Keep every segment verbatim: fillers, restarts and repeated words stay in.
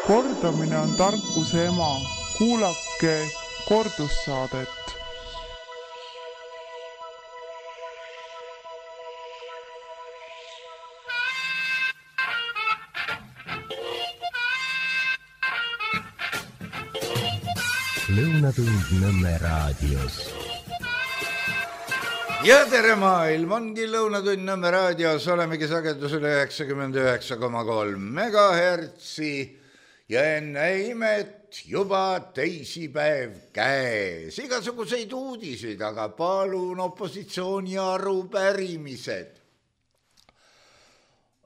Kordamine on tarkuse ema. Kuulake kordussaadet. Lõunatund Nõmme raadios. Ja tere maailm, ongi Lõunatund Nõmme raadios, olemegi sagedusel üheksakümmend üheksa koma kolm megahertsi ja enne imet juba teisipäev käes. Igasuguseid uudiseid, aga palun opositsiooni arupärimised.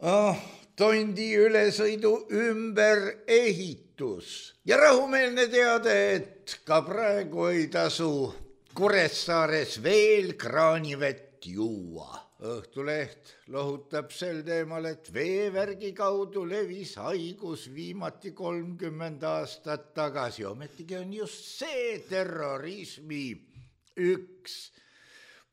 Oh, tondi ülesõidu ümber ehitus ja rahumeelne teade, et ka praegu ei tasu Kuressaares veel kraanivett juua. Õhtuleht lohutab sel teemal, et veevärgi kaudu levis haigus viimati kolmkümmend aastat tagasi. Ometigi on just see terrorismi üks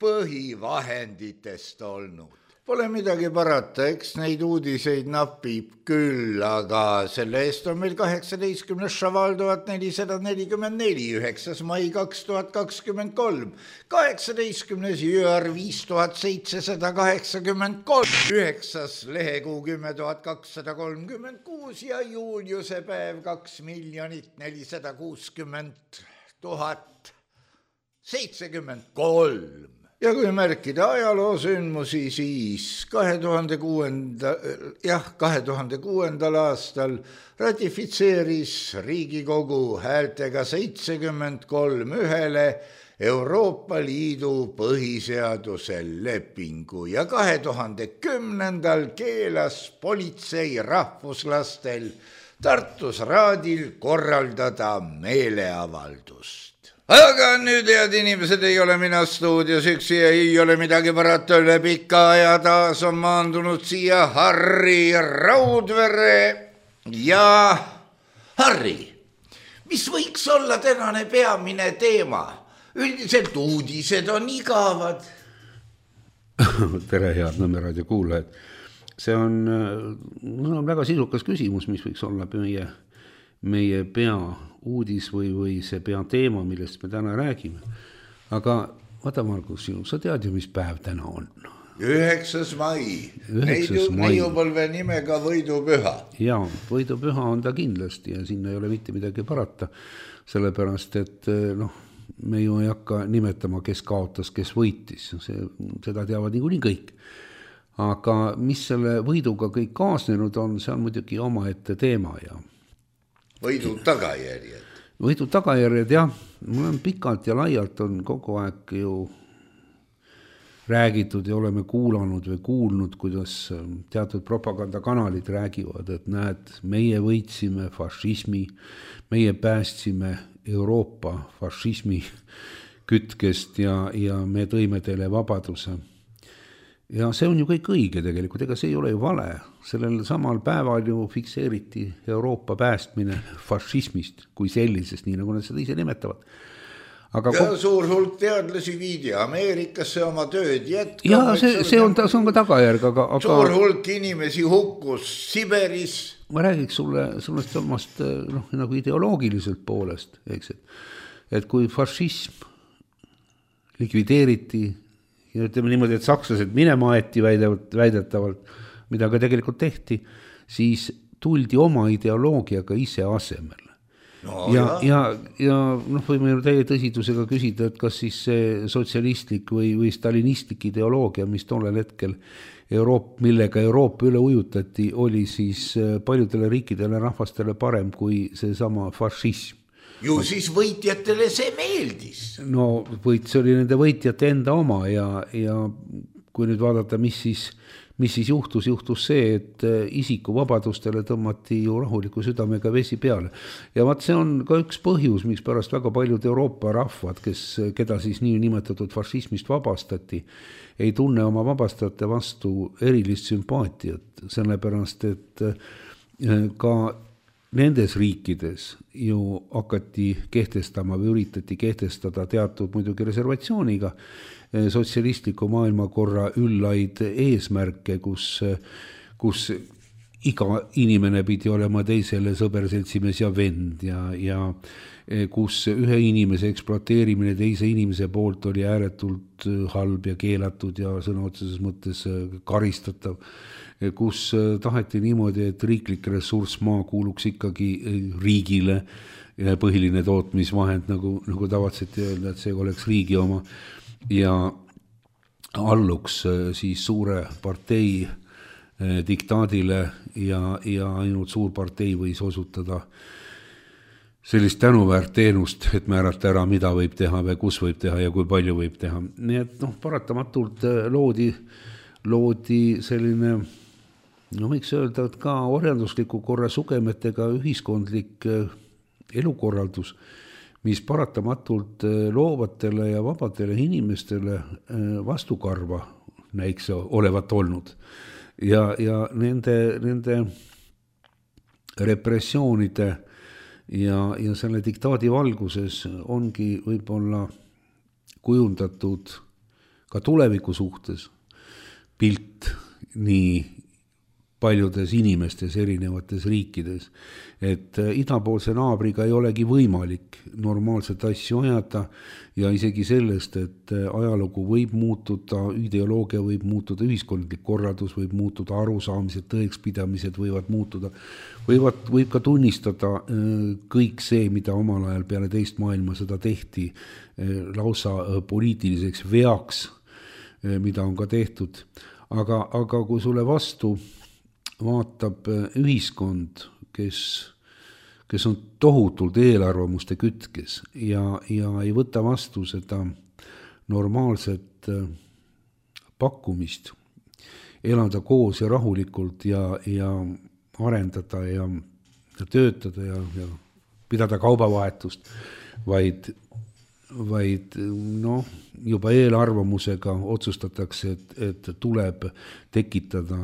põhivahenditest olnud. Pole midagi parata, eks neid uudiseid napib küll, aga selle eest on meil kaheksateistkümnes Šaval tuhat nelisada nelikümmend neli, üheksas mai kaks tuhat kakskümmend kolm, kaheksateistkümnes Jüar viis tuhat seitsesada kaheksakümmend kolm, üheksas lehekuu kümme tuhat kakssada kolmkümmend kuus ja Juliuse päev kaks miljonit nelisada kuuskümmend tuhat seitsekümmend kolm. Ja kui märkida ajaloosündmusi, siis kahe tuhande kuuenda, jah, kahe tuhande kuuendal aastal ratifitseeris Riigikogu häältega seitsekümmend kolm ühele Euroopa Liidu põhiseaduse lepingu ja kahe tuhande kümnendal keelas politsei rahvuslastel Tartus raadil korraldada meeleavaldust. Aga nüüd, head inimesed, ei ole mina stuudios üksi ja ei ole midagi parata üle pika ja taas on maandunud siia Harri Raudvere. Ja Harri, mis võiks olla tänane peamine teema? Üldiselt uudised on igavad. Tere, head Nõmme raadio kuulajad. See on, no, väga sisukas küsimus, mis võiks olla meie, meie pea uudis või, või see pea teema, millest me täna räägime. Aga vaata, Margus, sa tead ju, mis päev täna on? Üheksas mai. Neiupõlve nimega võidupüha. Jaa, võidupüha on ta kindlasti ja sinna ei ole mitte midagi parata, sellepärast, et noh, me ju ei hakka nimetama, kes kaotas, kes võitis. See, seda teavad niikuinii kõik. Aga mis selle võiduga kõik kaasnenud on, see on muidugi omaette teema ja võidu tagajärjed. Võidu tagajärjed, jah. Mul on pikalt ja laialt on kogu aeg ju räägitud ja oleme kuulanud või kuulnud, kuidas teatud propagandakanalid räägivad, et näed, meie võitsime fašismi, meie päästsime Euroopa fašismi kütkest ja, ja me tõime teile vabaduse. Ja see on ju kõik õige tegelikult, ega see ei ole ju vale. Sellel samal päeval ju fikseeriti Euroopa päästmine fašismist kui sellisest, nii nagu nad seda ise nimetavad. Aga ja kogu... suur hulk teadlasi viidi Ameerikasse oma tööd jätkama. Ja see, see, on, see on ka tagajärg. Aga, aga... Suur hulk inimesi hukkus Siberis. Ma räägiks sulle sellest omast no, nagu ideoloogiliselt poolest, eks, et, et kui fašism likvideeriti ja ütleme niimoodi, et sakslased minema aeti väidetavalt, mida ka tegelikult tehti, siis tuldi oma ideoloogiaga ise asemel. No, ja, ja, ja noh, võime ju täie tõsidusega küsida, et kas siis see sotsialistlik või, või stalinistlik ideoloogia, mis tollel hetkel Euroop, millega Euroopa üle ujutati, oli siis paljudele riikidele rahvastele parem kui see sama fašism. Ju siis võitjatele see meeldis. No võit, see oli nende võitjate enda oma ja, ja kui nüüd vaadata, mis siis, mis siis juhtus, juhtus see, et isiku vabadustele tõmmati ju rahuliku südamega vesi peale. Ja vaat see on ka üks põhjus, miks pärast väga paljud Euroopa rahvad, kes, keda siis nii nimetatud fašismist vabastati, ei tunne oma vabastajate vastu erilist sümpaatiat, sellepärast, et ka nendes riikides ju hakati kehtestama või üritati kehtestada teatud muidugi reservatsiooniga sotsialistliku maailmakorra üllaid eesmärke, kus, kus iga inimene pidi olema teisele sõber, seltsimees ja vend ja, ja kus ühe inimese ekspluateerimine teise inimese poolt oli ääretult halb ja keelatud ja sõna otseses mõttes karistatav, kus taheti niimoodi, et riiklik ressurss maa kuuluks ikkagi riigile, põhiline tootmisvahend, nagu, nagu tavatseti öelda, et see oleks riigi oma ja alluks siis suure partei diktaadile ja, ja ainult suur partei võis osutada sellist tänuväärt teenust, et määrata ära, mida võib teha või kus võib teha ja kui palju võib teha. Nii et noh, paratamatult loodi, loodi selline, no võiks öelda, et ka orjandusliku korra sugemetega ühiskondlik elukorraldus, mis paratamatult loovatele ja vabadele inimestele vastukarva näiks olevat olnud. Ja, ja nende, nende repressioonide ja, ja selle diktaadi valguses ongi võib-olla kujundatud ka tuleviku suhtes pilt nii paljudes inimestes erinevates riikides, et idapoolse naabriga ei olegi võimalik normaalset asju ajada ja isegi sellest, et ajalugu võib muutuda, ideoloogia võib muutuda, ühiskondlik korraldus võib muutuda, arusaamised, tõekspidamised võivad muutuda, võivad, võib ka tunnistada kõik see, mida omal ajal peale teist maailma seda tehti, lausa poliitiliseks veaks, mida on ka tehtud, aga, aga kui sulle vastu vaatab ühiskond, kes, kes on tohutult eelarvamuste kütkes ja, ja ei võta vastu seda normaalset pakkumist, elada koos ja rahulikult ja, ja arendada ja, ja töötada ja, ja pidada kaubavahetust, vaid, vaid no, juba eelarvamusega otsustatakse, et, et tuleb tekitada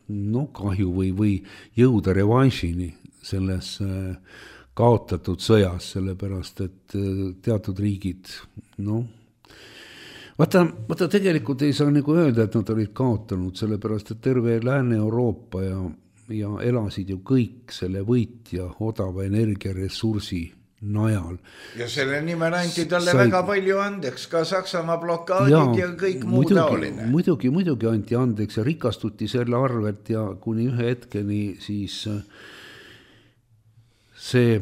no kahju või, või jõuda revanšini selles kaotatud sõjas, sellepärast et teatud riigid, no, vaata, vaata tegelikult ei saa nagu öelda, et nad olid kaotanud, sellepärast et terve Lääne-Euroopa ja, ja elasid ju kõik selle võitja odava energiaressursi najal. Ja selle nimel anti talle sai väga palju andeks, ka Saksamaa blokaadid ja, ja kõik muu taoline. Muidugi, muidugi anti andeks ja rikastuti selle arvelt ja kuni ühe hetkeni siis see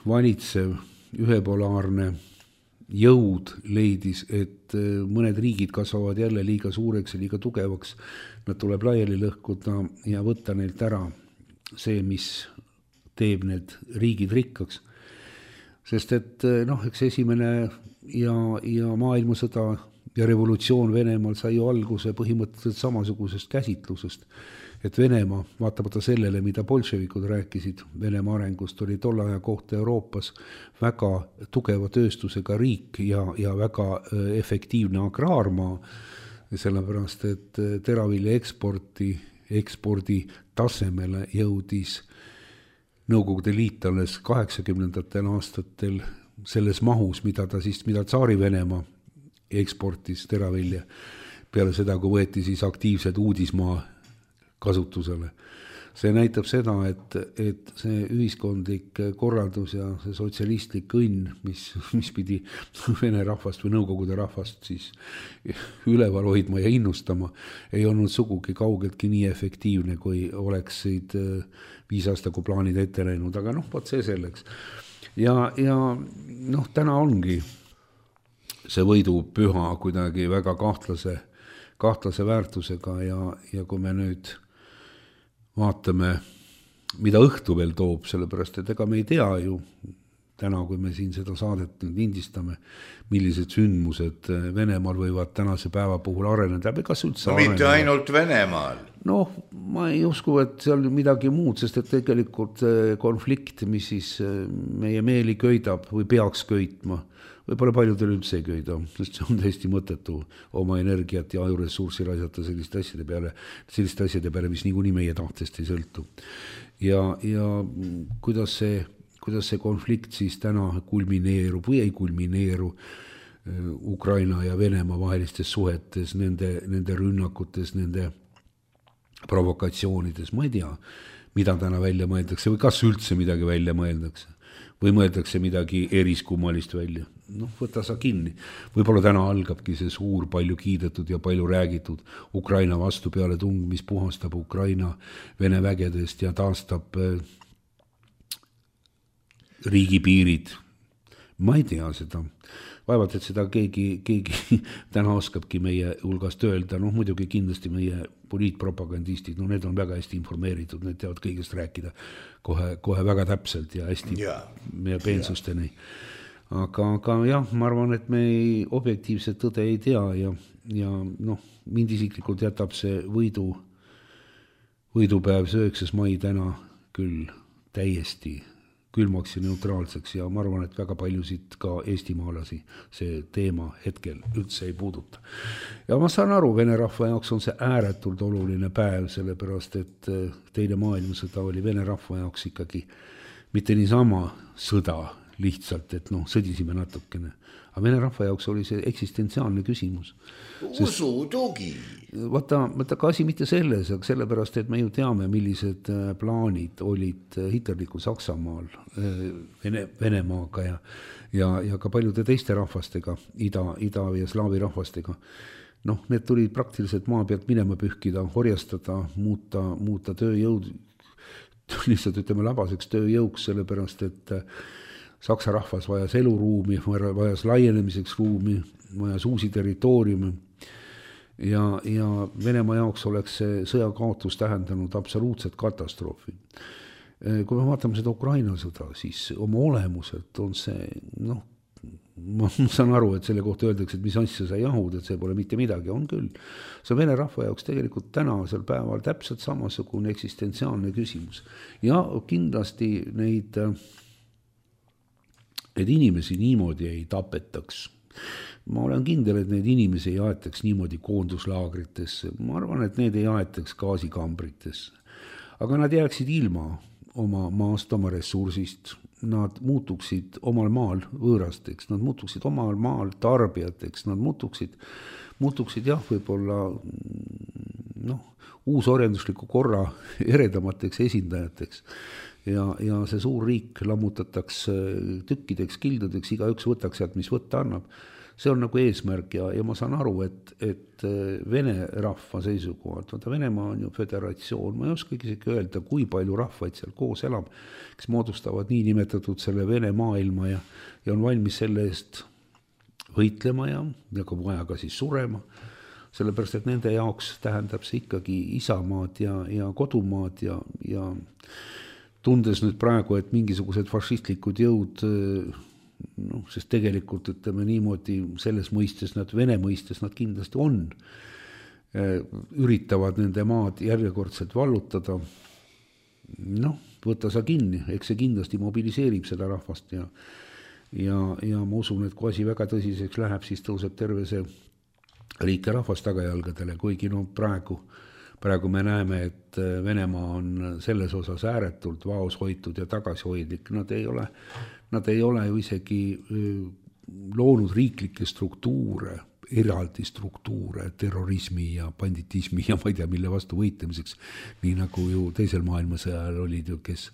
valitsev ühepolaarne jõud leidis, et mõned riigid kasvavad jälle liiga suureks ja liiga tugevaks, nad tuleb laiali lõhkuda ja võtta neilt ära see, mis teeb need riigid rikkaks. Sest et noh, eks esimene ja, ja maailmasõda ja revolutsioon Venemaal sai ju alguse põhimõtteliselt samasugusest käsitlusest, et Venemaa, vaatamata sellele, mida bolševikud rääkisid Venemaa arengust, oli tolle aja kohta Euroopas väga tugeva tööstusega riik ja, ja väga efektiivne agraarmaa, sellepärast et teravilja eksporti, ekspordi tasemele jõudis Nõukogude Liit alles kaheksakümnendatel aastatel selles mahus, mida ta siis, mida Tsaari Venemaa eksportis teravilja peale seda, kui võeti siis aktiivsed uudismaa kasutusele. See näitab seda, et, et see ühiskondlik korraldus ja see sotsialistlik õnn, mis, mis pidi Vene rahvast või Nõukogude rahvast siis üleval hoidma ja innustama, ei olnud sugugi kaugeltki nii efektiivne, kui oleksid viisaastaku plaanid ette läinud, aga noh, võt see selleks. Ja, ja noh, täna ongi see võidu püha kuidagi väga kahtlase, kahtlase väärtusega ja, ja kui me nüüd vaatame, mida õhtu veel toob, sellepärast, et ega me ei tea ju täna, kui me siin seda saadet nüüd indistame, millised sündmused Venemaal võivad tänase päeva puhul areneda. Kas üldse no mitte areneda? Ainult Venemaal. Noh, ma ei usku, et seal midagi muud, sest et tegelikult konflikt, mis siis meie meeli köidab või peaks köitma, võib-olla paljudel üldse ei köida, sest see on täiesti mõttetu oma energiat ja ajuressurssi raisata selliste asjade peale, selliste asjade peale, mis niikuinii meie tahtest ei sõltu. Ja, ja kuidas see, kuidas see konflikt siis täna kulmineerub või ei kulmineeru Ukraina ja Venemaa vahelistes suhetes, nende, nende rünnakutes, nende provokatsioonides, ma ei tea, mida täna välja mõeldakse või kas üldse midagi välja mõeldakse või mõeldakse midagi eriskummalist välja. Noh, võta sa kinni. Võib-olla täna algabki see suur, palju kiidetud ja palju räägitud Ukraina vastu peale tung, mis puhastab Ukraina Vene vägedest ja taastab riigipiirid. Ma ei tea seda. Vaevalt, et seda keegi, keegi täna oskabki meie hulgast öelda. Noh, muidugi kindlasti meie poliitpropagandistid, no need on väga hästi informeeritud, need teavad kõigest rääkida kohe, kohe väga täpselt ja hästi ja. Meie peensusteni. Aga, aga jah, ma arvan, et me ei, objektiivset tõde ei tea ja, ja noh, mind isiklikult jätab see võidu, võidupäev üheksas mai täna küll täiesti külmaks ja neutraalseks ja ma arvan, et väga paljusid ka eestimaalasi see teema hetkel üldse ei puuduta. Ja ma saan aru, Vene rahva jaoks on see ääretult oluline päev, sellepärast et teine maailmasõda oli Vene rahva jaoks ikkagi mitte niisama sõda lihtsalt, et noh, sõdisime natukene. Aga Vene rahva jaoks oli see eksistentsiaalne küsimus. Usutugi. Vaata, vaata ka asi mitte selles, aga sellepärast, et me ju teame, millised plaanid olid hitlerliku Saksamaal Vene, Venemaaga ja, ja, ja ka paljude teiste rahvastega, ida, ida ja slaavi rahvastega. Noh, need tulid praktiliselt maa pealt minema pühkida, horjastada, muuta, muuta tööjõud, lihtsalt ütleme labaseks tööjõuks, sellepärast, et Saksa rahvas vajas eluruumi, vajas laienemiseks ruumi, vajas uusi territooriume ja, ja Venemaa jaoks oleks see sõjakaotus tähendanud absoluutset katastroofi. Kui me vaatame seda Ukraina sõda, siis oma olemuselt on see, noh, ma saan aru, et selle kohta öeldakse, et mis asja sa jahud, et see pole mitte midagi, on küll. See on Vene rahva jaoks tegelikult tänasel päeval täpselt samasugune eksistentsiaalne küsimus. Ja kindlasti neid Need inimesi niimoodi ei tapetaks. Ma olen kindel, et need inimesi ei aetaks niimoodi koonduslaagritesse. Ma arvan, et need ei aetaks gaasikambritesse. Aga nad jääksid ilma oma maast, oma ressursist. Nad muutuksid omal maal võõrasteks, nad muutuksid omal maal tarbijateks, nad muutuksid, muutuksid jah, võib-olla noh, uusoriendusliku korra eredamateks esindajateks. Ja, ja see suur riik lammutataks tükkideks, kildudeks, igaüks võtaks sealt, mis võtta annab. See on nagu eesmärk ja, ja ma saan aru, et, et Vene rahva seisukohalt, vaata Venemaa on ju föderatsioon, ma ei oskagi isegi öelda, kui palju rahvaid seal koos elab, kes moodustavad nii nimetatud selle Vene maailma ja, ja on valmis selle eest võitlema ja, ja ka vaja ka siis surema. Sellepärast, et nende jaoks tähendab see ikkagi isamaad ja, ja kodumaad ja, ja tundes nüüd praegu, et mingisugused fašistlikud jõud, noh, sest tegelikult ütleme niimoodi, selles mõistes nad, Vene mõistes nad kindlasti on, üritavad nende maad järjekordselt vallutada, noh, võtta sa kinni, eks see kindlasti mobiliseerib seda rahvast ja, ja, ja ma usun, et kui asi väga tõsiseks läheb, siis tõuseb terve see riik ja rahvas tagajalgadele, kuigi no praegu Praegu me näeme, et Venemaa on selles osas ääretult vaos hoitud ja tagasihoidlik. Nad ei ole, nad ei ole ju isegi loonud riiklikke struktuure, eraldi struktuure terrorismi ja banditismi ja ma ei tea, mille vastu võitlemiseks, nii nagu ju teisel maailmasõjal olid ju, kes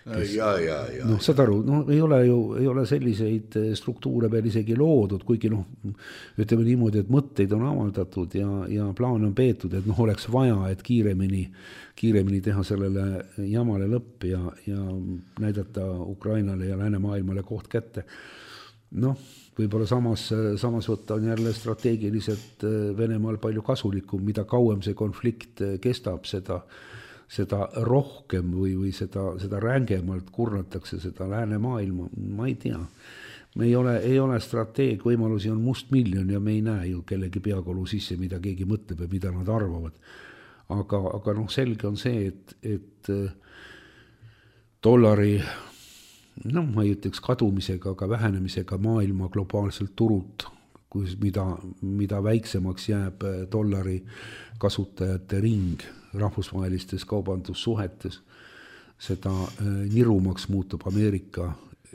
Kes, ja, ja, ja. No, saad aru, no, ei ole ju ei ole selliseid struktuure veel isegi loodud, kuigi noh, ütleme niimoodi, et mõtteid on avaldatud ja, ja plaan on peetud, et noh, oleks vaja, et kiiremini, kiiremini teha sellele jamale lõpp ja, ja näidata Ukrainale ja läänemaailmale koht kätte. Noh, võib-olla samas, samas võtta on jälle strateegiliselt Venemaal palju kasulikum, mida kauem see konflikt kestab, seda seda rohkem või, või seda, seda rängemalt kurnatakse seda läänemaailma, ma ei tea. Me ei ole, ei ole strateeg, võimalusi on must miljon ja me ei näe ju kellegi peakolu sisse, mida keegi mõtleb ja mida nad arvavad. Aga, aga noh, selge on see, et, et dollari, noh, ma ei ütleks kadumisega, aga vähenemisega maailma globaalselt turult, kus, mida, mida väiksemaks jääb dollari kasutajate ring rahvusvahelistes kaubandussuhetes, seda nirumaks muutub Ameerika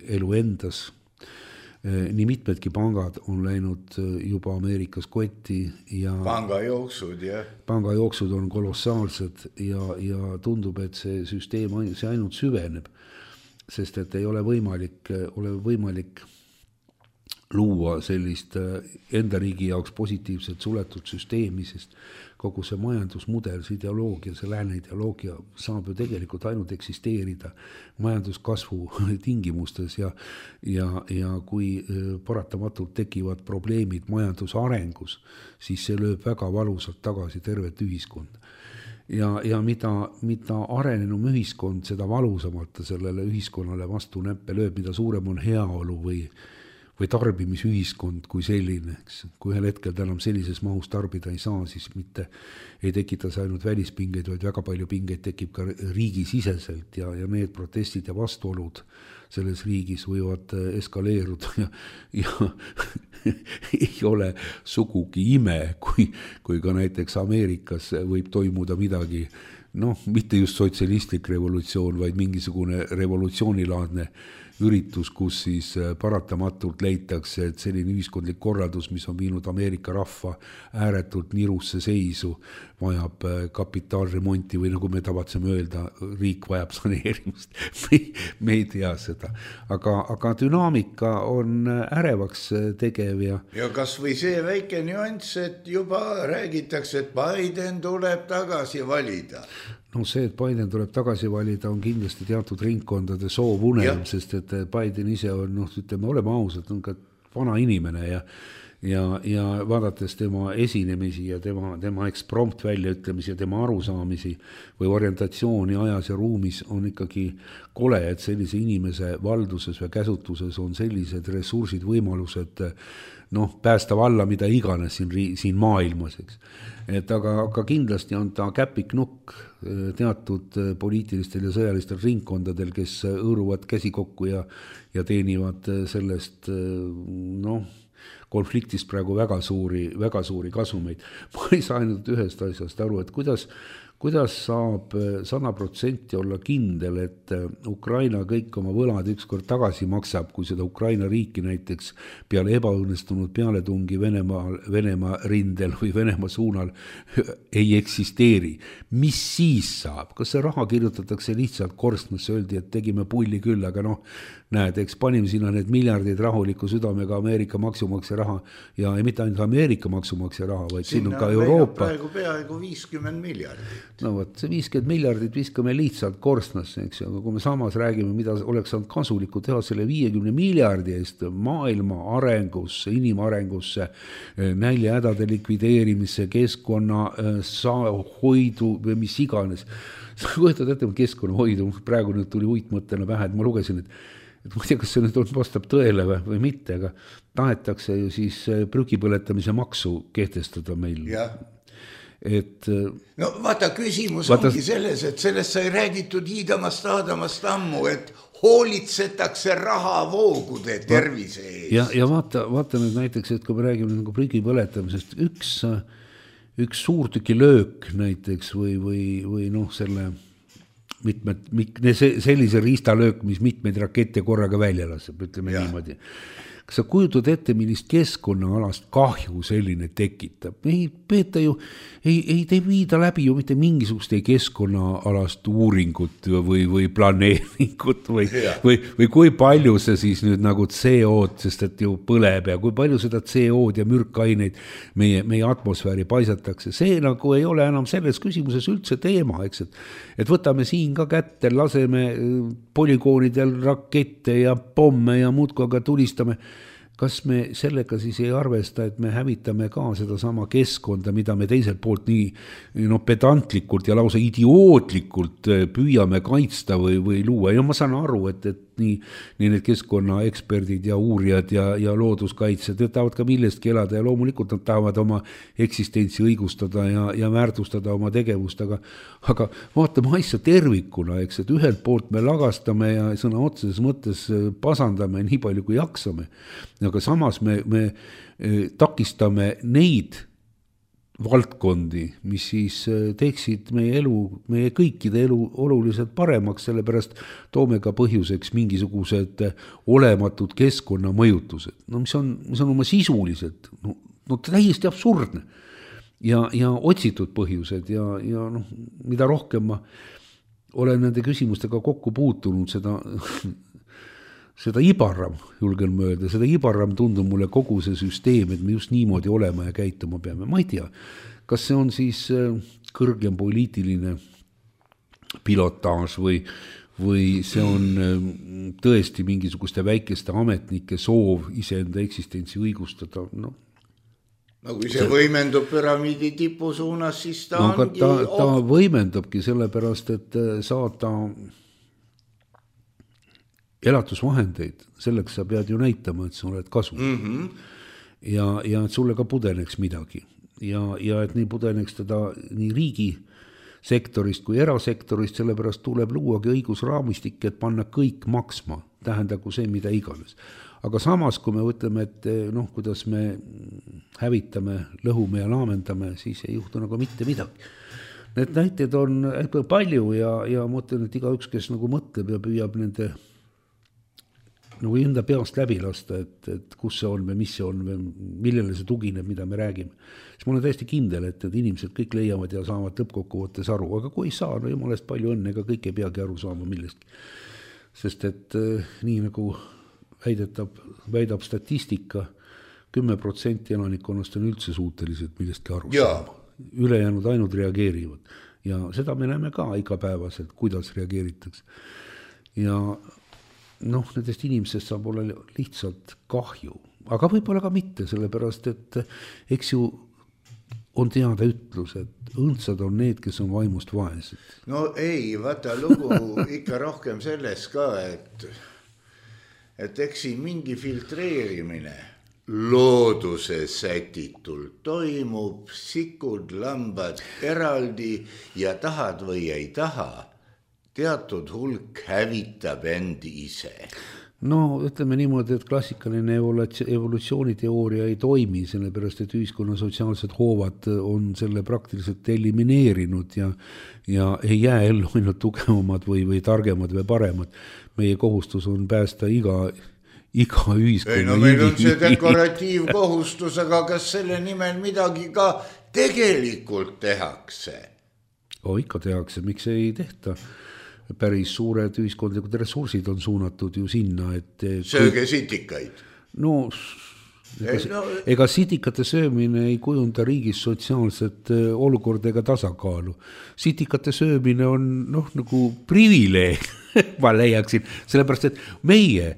elu endas. nii mitmedki pangad on läinud juba Ameerikas kotti ja pangajooksud, jah. Pangajooksud on kolossaalsed ja, ja tundub, et see süsteem see ainult süveneb, sest et ei ole võimalik, ole võimalik luua sellist enda riigi jaoks positiivselt suletud süsteemi, sest kogu see majandusmudel, see ideoloogia, see lääne ideoloogia saab ju tegelikult ainult eksisteerida majanduskasvu tingimustes ja, ja, ja kui paratamatult tekivad probleemid majandusarengus, siis see lööb väga valusalt tagasi tervet ühiskonda. Ja, ja mida, mida arenenum ühiskond, seda valusamalt sellele ühiskonnale vastu näppe lööb, mida suurem on heaolu või või tarbimisühiskond kui selline, eks. Kui ühel hetkel ta enam sellises mahus tarbida ei saa, siis mitte ei tekita see ainult välispingeid, vaid väga palju pingeid tekib ka riigisiseselt ja, ja need protestid ja vastuolud selles riigis võivad eskaleeruda ja, ja ei ole sugugi ime, kui, kui ka näiteks Ameerikas võib toimuda midagi, noh, mitte just sotsialistlik revolutsioon, vaid mingisugune revolutsioonilaadne üritus, kus siis paratamatult leitakse, et selline ühiskondlik korraldus, mis on viinud Ameerika rahva ääretult nirusse seisu, vajab kapitaalremonti või nagu me tavatseme öelda, riik vajab saneerimist. Me, me ei tea seda. Aga, aga dünaamika on ärevaks tegev ja... Ja kas või see väike nüanss, et juba räägitakse, et Biden tuleb tagasi valida. No see, et Biden tuleb tagasi valida, on kindlasti teatud ringkondade soovunem, sest et Biden ise on, noh, ütleme, oleme ausad, on ka vana inimene ja, ja, ja vaadates tema esinemisi ja tema, tema eksprompt väljaütlemisi ja tema arusaamisi või orientatsiooni ajas ja ruumis on ikkagi kole, et sellise inimese valduses või käsutuses on sellised ressursid, võimalused, noh, päästa valla mida iganes siin, siin maailmas, eks. Et aga, aga kindlasti on ta käpiknukk teatud poliitilistel ja sõjalistel ringkondadel, kes õõruvad käsi kokku ja, ja teenivad sellest, noh, konfliktist praegu väga suuri, väga suuri kasumeid. Ma ei saa ainult ühest asjast aru, et kuidas, kuidas saab sada protsenti olla kindel, et Ukraina kõik oma võlad ükskord tagasi maksab, kui seda Ukraina riiki näiteks peale ebaõnnestunud pealetungi Venemaa, Venemaa rindel või Venemaa suunal ei eksisteeri. Mis siis saab? Kas see raha kirjutatakse lihtsalt korstnasse, öeldi, et tegime pulli küll, aga noh, näed, eks panime sinna need miljardid rahuliku südamega Ameerika maksumaksja raha ja ei mitte ainult Ameerika maksumaksja raha, vaid siin on ka Euroopa. Praegu peaaegu viiskümmend miljardit. No võt, see viiskümmend miljardit viskame lihtsalt korstnasse, eks, aga kui me samas räägime, mida oleks saanud kasulikku teha selle viiekümne miljardi eest maailma arengusse, inimarengusse, näljahädade likvideerimisse, keskkonna hoidu või mis iganes. Sa kujutad ette keskkonnahoidu, praegu nüüd tuli uitmõttena pähe, et ma lugesin, et et ma ei tea, kas see nüüd on, vastab tõele või, või mitte, aga tahetakse ju siis prügipõletamise maksu kehtestada meil. Jah. Et, no vaata, küsimus vaata, ongi selles, et sellest sai räägitud hiidamast, aadamast ammu, et hoolitsetakse rahavoogude tervise eest. Ja, ja vaata, vaata nüüd näiteks, et kui me räägime nagu prügipõletamisest, üks, üks suurtüki löök näiteks või, või, või noh, selle mitmed, sellise riistalöök, mis mitmeid rakette korraga välja laseb, ütleme ja. Niimoodi. Kas sa kujutad ette, millist keskkonnaalast kahju selline tekitab? Ei peeta ju, ei, ei te viida läbi ju mitte mingisugust keskkonnaalast uuringut või, või planeeringut või, või, või kui palju see siis nüüd nagu C O-d, sest et ju põleb ja kui palju seda C O-d ja mürkaineid meie, meie atmosfääri paisatakse. See nagu ei ole enam selles küsimuses üldse teema, eks, et, et võtame siin ka kätte, laseme polügoonidel rakette ja pomme ja muudkui aga tulistame. Kas me sellega siis ei arvesta, et me hävitame ka seda sama keskkonda, mida me teiselt poolt nii no, pedantlikult ja lausa idiootlikult püüame kaitsta või, või luua. Ja ma saan aru, et, et nii, nii need keskkonnaeksperdid ja uurijad ja, ja looduskaitsjad tahavad ka millestki elada ja loomulikult nad tahavad oma eksistentsi õigustada ja, ja väärtustada oma tegevust, aga, aga vaatame asja tervikuna, eks, et ühelt poolt me lagastame ja sõna otseses mõttes pasandame nii palju kui jaksame, aga samas me, me takistame neid valdkondi, mis siis teeksid meie elu, meie kõikide elu oluliselt paremaks, sellepärast toome ka põhjuseks mingisugused olematud keskkonnamõjutused, no mis on, mis on oma sisuliselt, no, no täiesti absurdne ja, ja otsitud põhjused ja, ja noh, mida rohkem ma olen nende küsimustega kokku puutunud, seda seda ibarram, julgen mõelda, seda ibarram tundub mulle kogu see süsteem, et me just niimoodi olema ja käituma peame. Ma ei tea, kas see on siis kõrgem poliitiline pilotaaž või, või see on tõesti mingisuguste väikeste ametnike soov iseenda eksistentsi õigustada, noh. No kui see võimendub püramiidi tipu suunas, siis ta no, ongi... Ta, ta võimendabki sellepärast, et saada elatusvahendeid, selleks sa pead ju näitama, et sa oled kasu. Mm-hmm. Ja, ja et sulle ka pudeneks midagi. Ja, ja et nii pudeneks teda nii riigi sektorist kui erasektorist, sellepärast tuleb luuagi õigusraamistik, et panna kõik maksma, tähendagu see, mida iganes. Aga samas, kui me võtleme, et noh, kuidas me hävitame, lõhume ja laamendame, siis ei juhtu nagu mitte midagi. Need näited on palju ja, ja mõtlen, et iga üks, kes nagu mõtleb ja püüab nende nagu enda peast läbi lasta, et, et kus see on või mis see on või millele see tugineb, mida me räägime. Siis ma olen täiesti kindel, et, et inimesed kõik leiavad ja saavad lõppkokkuvõttes aru, aga kui ei saa, no jumalast palju õnne, ega kõik ei peagi aru saama millestki. Sest et eh, nii nagu väidetab, väidab statistika, kümme protsenti elanikkonnast on üldse suutelised millestki aru saama. Ülejäänud ainult reageerivad. Ja seda me näeme ka igapäevaselt, kuidas reageeritakse. Ja noh, nendest inimesest saab olla lihtsalt kahju, aga võib-olla ka mitte, sellepärast, et eks ju on teada ütlus, et õndsad on need, kes on vaimust vaesed. No ei, vaata lugu ikka rohkem selles ka, et, et eks siin mingi filtreerimine looduse sätitult toimub, sikud, lambad eraldi ja tahad või ei taha. Teatud hulk hävitab endi ise. No ütleme niimoodi, et klassikaline evolutsiooniteooria ei toimi, sellepärast, et ühiskonna sotsiaalsed hoovad on selle praktiliselt elimineerinud ja, ja ei jää ellu ainult tugevamad või, või targemad või paremad. Meie kohustus on päästa iga, iga ühiskonna. Ei, no meil on see dekoratiivkohustus, aga kas selle nimel midagi ka tegelikult tehakse? O, ikka tehakse, miks ei tehta? Päris suured ühiskondlikud ressursid on suunatud ju sinna, et... Sööge sitikaid. No, ega, no, ega sitikate söömine ei kujunda riigis sotsiaalset olukorda ega tasakaalu. Sitikate söömine on noh, nagu privileeg, ma leiaksin, sellepärast, et meie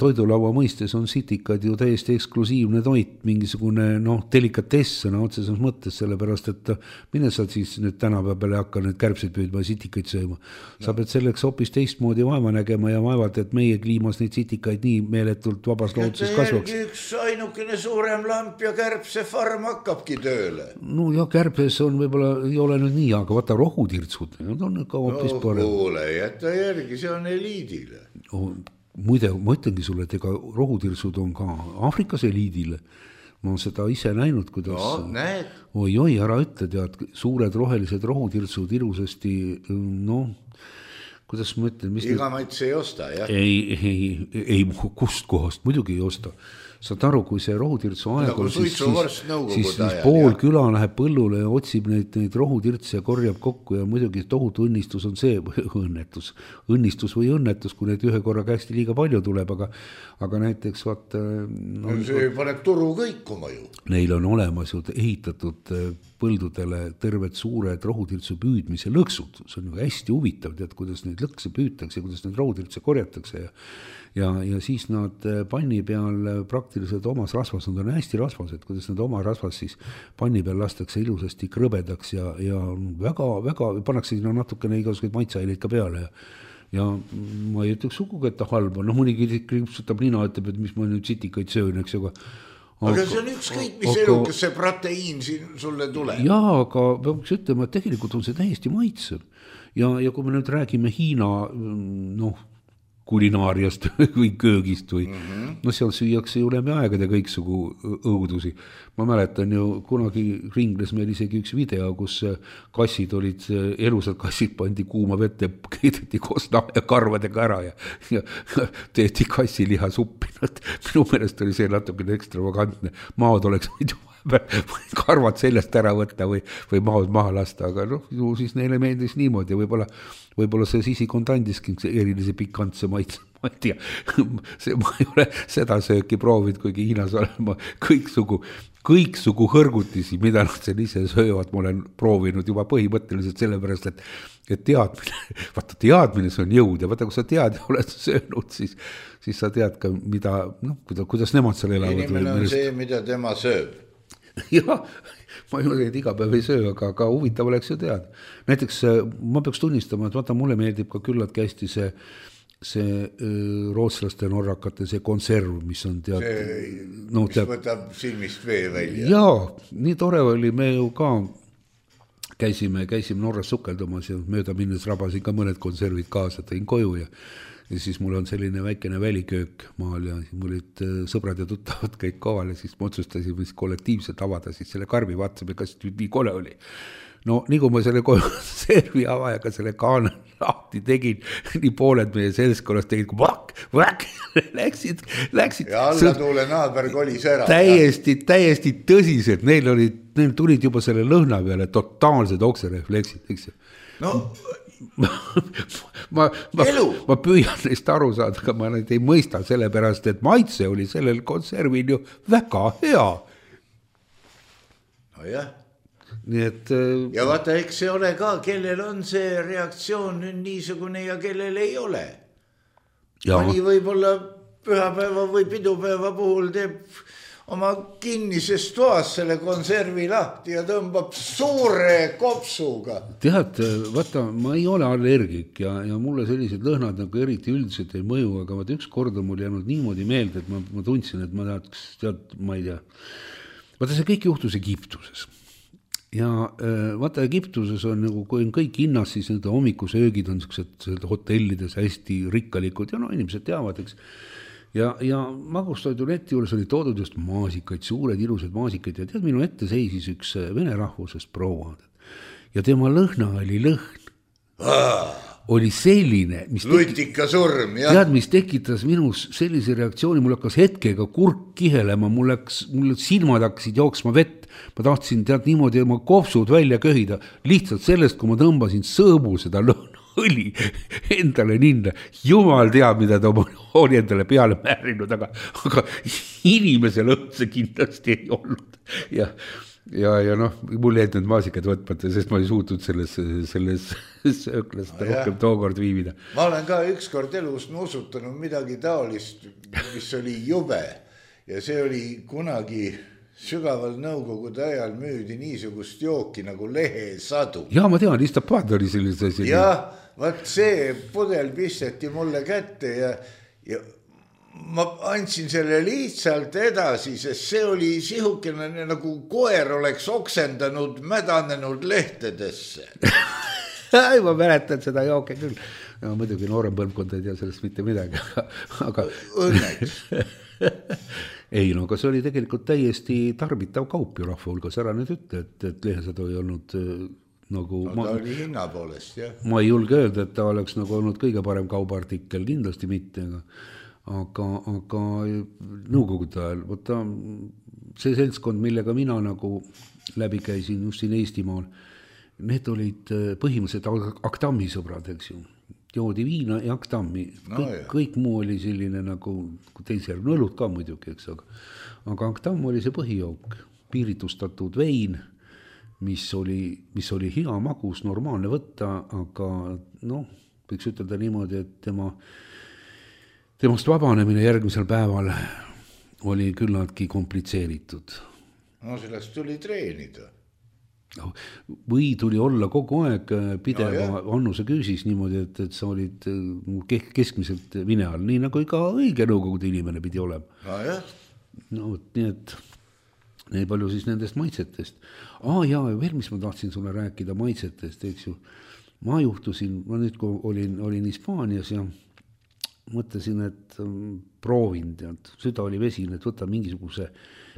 toidulaua mõistes on sitikad ju täiesti eksklusiivne toit, mingisugune noh, delikatess sõna otseses mõttes, sellepärast, et mine sa siis nüüd tänapäeva peale hakka nüüd kärbseid püüdma ja sitikaid sööma. Sa pead selleks hoopis teistmoodi vaeva nägema ja vaevalt, et meie kliimas neid sitikaid nii meeletult vabas looduses kasvaks. Üks ainukene suurem lamp ja kärbse farm hakkabki tööle. No ja kärbes on võib-olla, ei ole nüüd nii, aga vaata rohutirtsud, need on ka hoopis no, parem. Kuule, jätta järgi. See on eliidile. Oh, muide, ma ütlengi sulle, et ega rohutirsud on ka Aafrikas eliidile. Ma olen seda ise näinud, kuidas... No, näed. Oi, oi, ära ütle, tead, suured rohelised rohutirsud ilusasti, noh, kuidas ma ütlen... Mis iga maits ei osta, jah? Ei, ei, ei, kust kohast, muidugi ei osta. Saad aru, kui see rohutirtsu aeg on, siis, siis, siis, siis pool küla läheb põllule ja otsib neid, neid rohutirtse ja korjab kokku ja muidugi tohutu õnnistus on see, õnnetus, õnnistus või õnnetus, kui neid ühe korra käesti liiga palju tuleb, aga, aga näiteks vaat... No, see paneb turu kõikuma ju. Neil on olemas ju ehitatud põldudele terved suured rohutirtsu püüdmise lõksud, see on hästi huvitav, tead, kuidas neid lõkse püütakse, kuidas neid rohutirtse korjatakse ja Ja, ja siis nad panni peal praktiliselt omas rasvas, nad on hästi rasvased, kuidas nad oma rasvas siis panni peal lastakse ilusasti krõbedaks ja, ja väga, väga, pannakse sinna natukene igasuguseid maitseaineid ka peale ja, ja ma ei ütleks sugugi, et ta halb on, no mõnigi kriipsutab nina, ütleb, et mis ma nüüd sitikaid söön, eks ju, aga aga see on ükskõik, mis aga, elukas see proteiin siin sulle tuleb. Jaa, aga peaks ütlema, et tegelikult on see täiesti maitsev ja, ja kui me nüüd räägime Hiina, noh, kulinaariast või köögist või mm -hmm. no seal süüakse ju läbi aegade kõiksugu õudusi. Ma mäletan ju, kunagi ringles meil isegi üks video, kus kassid olid, elusad kassid pandi kuuma vette, keedeti koos ja karvadega ära ja, ja tehti kassiliha suppi. Minu meelest oli see natukene ekstravagantne. Maad oleks muidu karvad sellest ära võtta või, või maad maha lasta, aga noh, ju siis neile meeldis niimoodi ja võib-olla, võib-olla see sisikond andiski erilise pikantse maitse, ma ei tea, see, ma ei ole seda sööki proovinud, kuigi Hiinas olema kõiksugu, kõiksugu hõrgutisi, mida nad seal ise söövad, ma olen proovinud juba põhimõtteliselt sellepärast, et, et teadmine, vaata teadmine, see on jõud ja vaata, kui sa tead ja oled söönud, siis, siis sa tead ka, mida, noh, kuidas, kuidas nemad seal elavad. Inimene on see, mida tema sööb. Jah, ma ei ole neid iga päev ei söö, aga, aga huvitav oleks ju teada. Näiteks ma peaks tunnistama, et vaata, mulle meeldib ka küllaltki hästi see, see rootslaste norrakate, see konserv, mis on tead... See, no, mis tead, võtab silmist vee välja. Jaa, nii tore oli, me ju ka käisime, käisime Norras sukeldumas ja mööda minnes rabasin ka mõned konservid kaasa, tõin koju ja ja siis mul on selline väikene väliköök maal ja mul olid sõbrad ja tuttavad kõik kohal ja siis ma otsustasin kollektiivselt avada siis selle karbi, vaatasime, kas nii kole oli. No nii kui ma selle konservi avajaga selle kaana lahti tegin, nii pooled meie selskonnast tegid, kui vakk, vakk, läksid, läksid. Ja allatuule naaber kolis ära. Täiesti, täiesti tõsiselt, neil olid, neil tulid juba selle lõhna peale totaalsed okserefleksid, eks ju. No... ma, ma, ma, ma püüan neist aru saada, aga ma neid ei mõista sellepärast, et maitse oli sellel konservil ju väga hea. No jah. Nii et... Ja vaata, eks see ole ka, kellel on see reaktsioon nüüd niisugune ja kellel ei ole. Mõni võib-olla pühapäeva või pidupäeva puhul teeb oma kinnises toas selle konservi lahti ja tõmbab suure kopsuga. Tead, vaata, ma ei ole allergik ja, ja mulle sellised lõhnad nagu eriti üldiselt ei mõju, aga vaata üks kord on mul jäänud niimoodi meelde, et ma, ma tundsin, et ma tahaks, tead, ma ei tea. Vaata, see kõik juhtus Egiptuses. Ja vaata, Egiptuses on nagu, kui on kõik hinnas, siis need hommikusöögid on sellised hotellides hästi rikkalikud ja no inimesed teavad, eks. Ja, ja magustoiduleti juures oli toodud just maasikaid, suured ilusad maasikaid ja tead, minu ette seisis üks vene rahvusest proua. Ja tema lõhna oli lõhn. Ah, oli selline, mis, Lutika surm, jah. Tead, mis tekitas minus sellise reaktsiooni, mul hakkas hetkega kurk kihelema, mul, läks, mul silmad hakkasid jooksma vett, ma tahtsin tead niimoodi oma kopsud välja köhida, lihtsalt sellest, kui ma tõmbasin sõõbu seda lõhna. Õli endale ninna, jumal teab, mida ta oli endale peale määrinud, aga, aga inimesel õhtse kindlasti ei olnud. Ja, ja, ja noh, mul jäid need maasikad võtmata, sest ma ei suutnud selles, selles sööklast no rohkem tookord viibida. Ma olen ka ükskord elus nuusutanud midagi taolist, mis oli jube ja see oli kunagi... Sügaval nõukogude ajal müüdi niisugust jooki nagu lehesadu. Jaa, ma tean, Istapad oli sellise asi. Jah, vaat see pudel pisteti mulle kätte ja, ja ma andsin selle lihtsalt edasi, sest see oli sihukene nagu koer oleks oksendanud mädanenud lehtedesse. Ei, ma mäletan seda jooke küll. Ja, muidugi noorem põlvkond ei tea sellest mitte midagi. Aga... Õnneks. Ei, no aga see oli tegelikult täiesti tarbitav kaup ju rahva hulgas, ära nüüd ütle, et, et lehesadu ei olnud nagu... No ta ma, oli hinna poolest, jah. Ma ei julge öelda, et ta oleks nagu olnud kõige parem kaubaartikkel, kindlasti mitte, aga, aga, aga nõukogude ajal, võtta see seltskond, millega mina nagu läbi käisin just siin Eestimaal, need olid põhimõtteliselt Aktammi sõbrad, eks ju. Joodi viina ja Aktammi, kõik, no, kõik muu oli selline nagu teisel nõlud ka muidugi, eks, aga, aga Aktamm oli see põhijook, piiritustatud vein, mis oli, mis oli hea magus, normaalne võtta, aga noh, võiks ütelda niimoodi, et tema, temast vabanemine järgmisel päeval oli küllaltki komplitseeritud. No sellest tuli treenida. Või tuli olla kogu aeg pideva no, annuse küüsis niimoodi, et, et sa olid keskmiselt vine all, nii nagu iga õige nõukogude inimene pidi olema. No, jah. No, nii et nii palju siis nendest maitsetest. Aa, jaa, veel mis ma tahtsin sulle rääkida maitsetest, eks ju. Ma juhtusin, ma nüüd kui olin, olin Hispaanias ja mõtlesin, et proovin, tead, süda oli vesine, et võtan mingisuguse,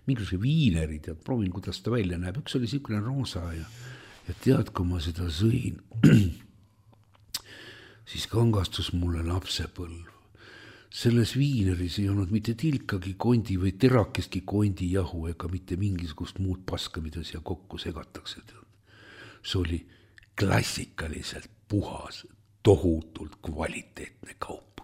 mingisuguse viineri, tead, proovin, kuidas ta välja näeb. Üks oli siukene roosa ja, ja tead, kui ma seda sõin, siis kangastus mulle lapsepõlv. Selles viineris ei olnud mitte tilkagi kondi või terakestki kondi jahu ega mitte mingisugust muud paska, mida siia kokku segatakse. See oli klassikaliselt puhas, tohutult kvaliteetne kaup.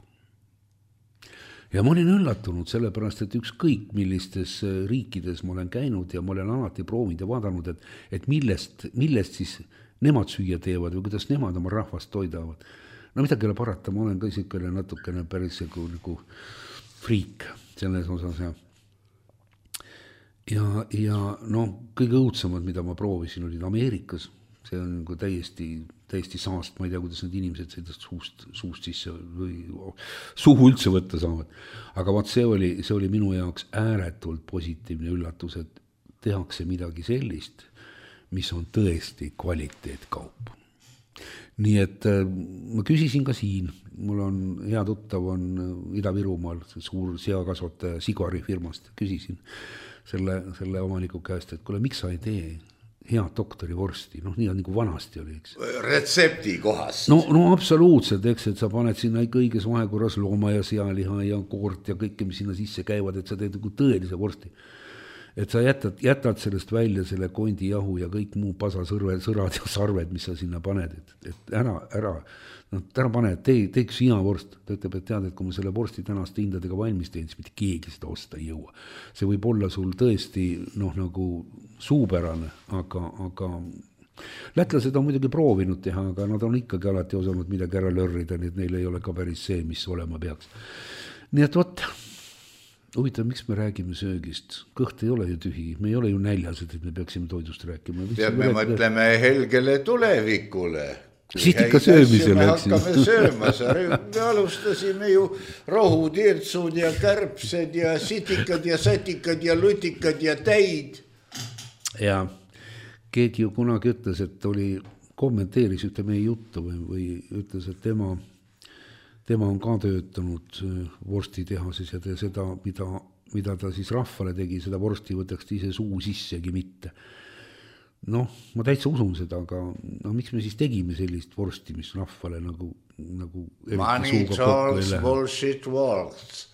Ja ma olin üllatunud sellepärast, et ükskõik millistes riikides ma olen käinud ja ma olen alati proovinud ja vaadanud, et, et millest, millest siis nemad süüa teevad või kuidas nemad oma rahvast toidavad. No midagi ei ole parata, ma olen ka isikule natukene päris nagu, nagu friik selles osas. Ja, ja, ja no, kõige õudsemad, mida ma proovisin, olid Ameerikas. See on nagu täiesti, täiesti saast, ma ei tea, kuidas need inimesed seda suust, suust sisse või suhu üldse võtta saavad. Aga vaat see oli, see oli minu jaoks ääretult positiivne üllatus, et tehakse midagi sellist, mis on tõesti kvaliteetkaup. Nii et ma küsisin ka siin, mul on hea tuttav on Ida-Virumaal, suur seakasvataja Sigari firmast, küsisin selle, selle omaniku käest, et kuule, miks sa ei tee head doktori vorsti, noh nii on nagu vanasti oli, eks. Retsepti kohast. No, no absoluutselt, eks, et sa paned sinna ikka õiges vahekorras looma ja sealiha ja koort ja kõike, mis sinna sisse käivad, et sa teed nagu tõelise vorsti. Et sa jätad, jätad sellest välja selle kondi jahu ja kõik muu pasasõrved, sõrad ja sarved, mis sa sinna paned, et, et ära, ära, no ära pane, tee, teeks hea vorst. Ta ütleb, et tead, et kui ma selle vorsti tänaste hindadega valmis teen, siis mitte keegi seda osta ei jõua. See võib olla sul tõesti, noh, nagu suupärane, aga, aga lätlased on muidugi proovinud teha, aga nad on ikkagi alati osanud midagi ära lörrida, nii et neil ei ole ka päris see, mis olema peaks. Nii et võt, huvitav, miks me räägime söögist? Kõht ei ole ju tühi, me ei ole ju näljased, et me peaksime toidust rääkima. Tead, me mõtleme helgele tulevikule. Sistika söömisel, me hakkame sööma, me alustasime ju rohutirtsud ja kärbsed ja sitikad ja sätikad ja lutikad ja täid. Ja keegi ju kunagi ütles, et oli, kommenteeris ühte meie juttu või, või ütles, et tema tema on ka töötanud vorstitehases ja te seda, mida, mida ta siis rahvale tegi, seda vorsti võtaks ise suu sissegi mitte. Noh, ma täitsa usun seda, aga no, miks me siis tegime sellist vorsti, mis rahvale nagu, nagu money talks, bullshit works.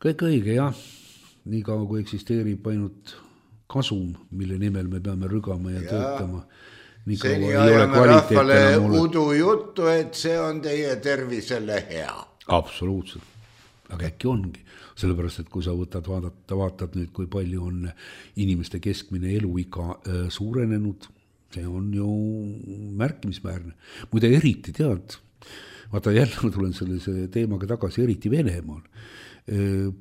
Kõik õige, jah. Nii kaua, kui eksisteerib ainult kasum, mille nimel me peame rügama ja, ja. töötama. Seni ajame rahvale udu juttu, et see on teie tervisele hea. Absoluutselt. Aga äkki ongi. Sellepärast, et kui sa võtad vaadata, vaatad nüüd, kui palju on inimeste keskmine eluiga suurenenud, see on ju märkimisväärne. Muide eriti tead, vaata jälle tulen selle teemaga tagasi, eriti Venemaal.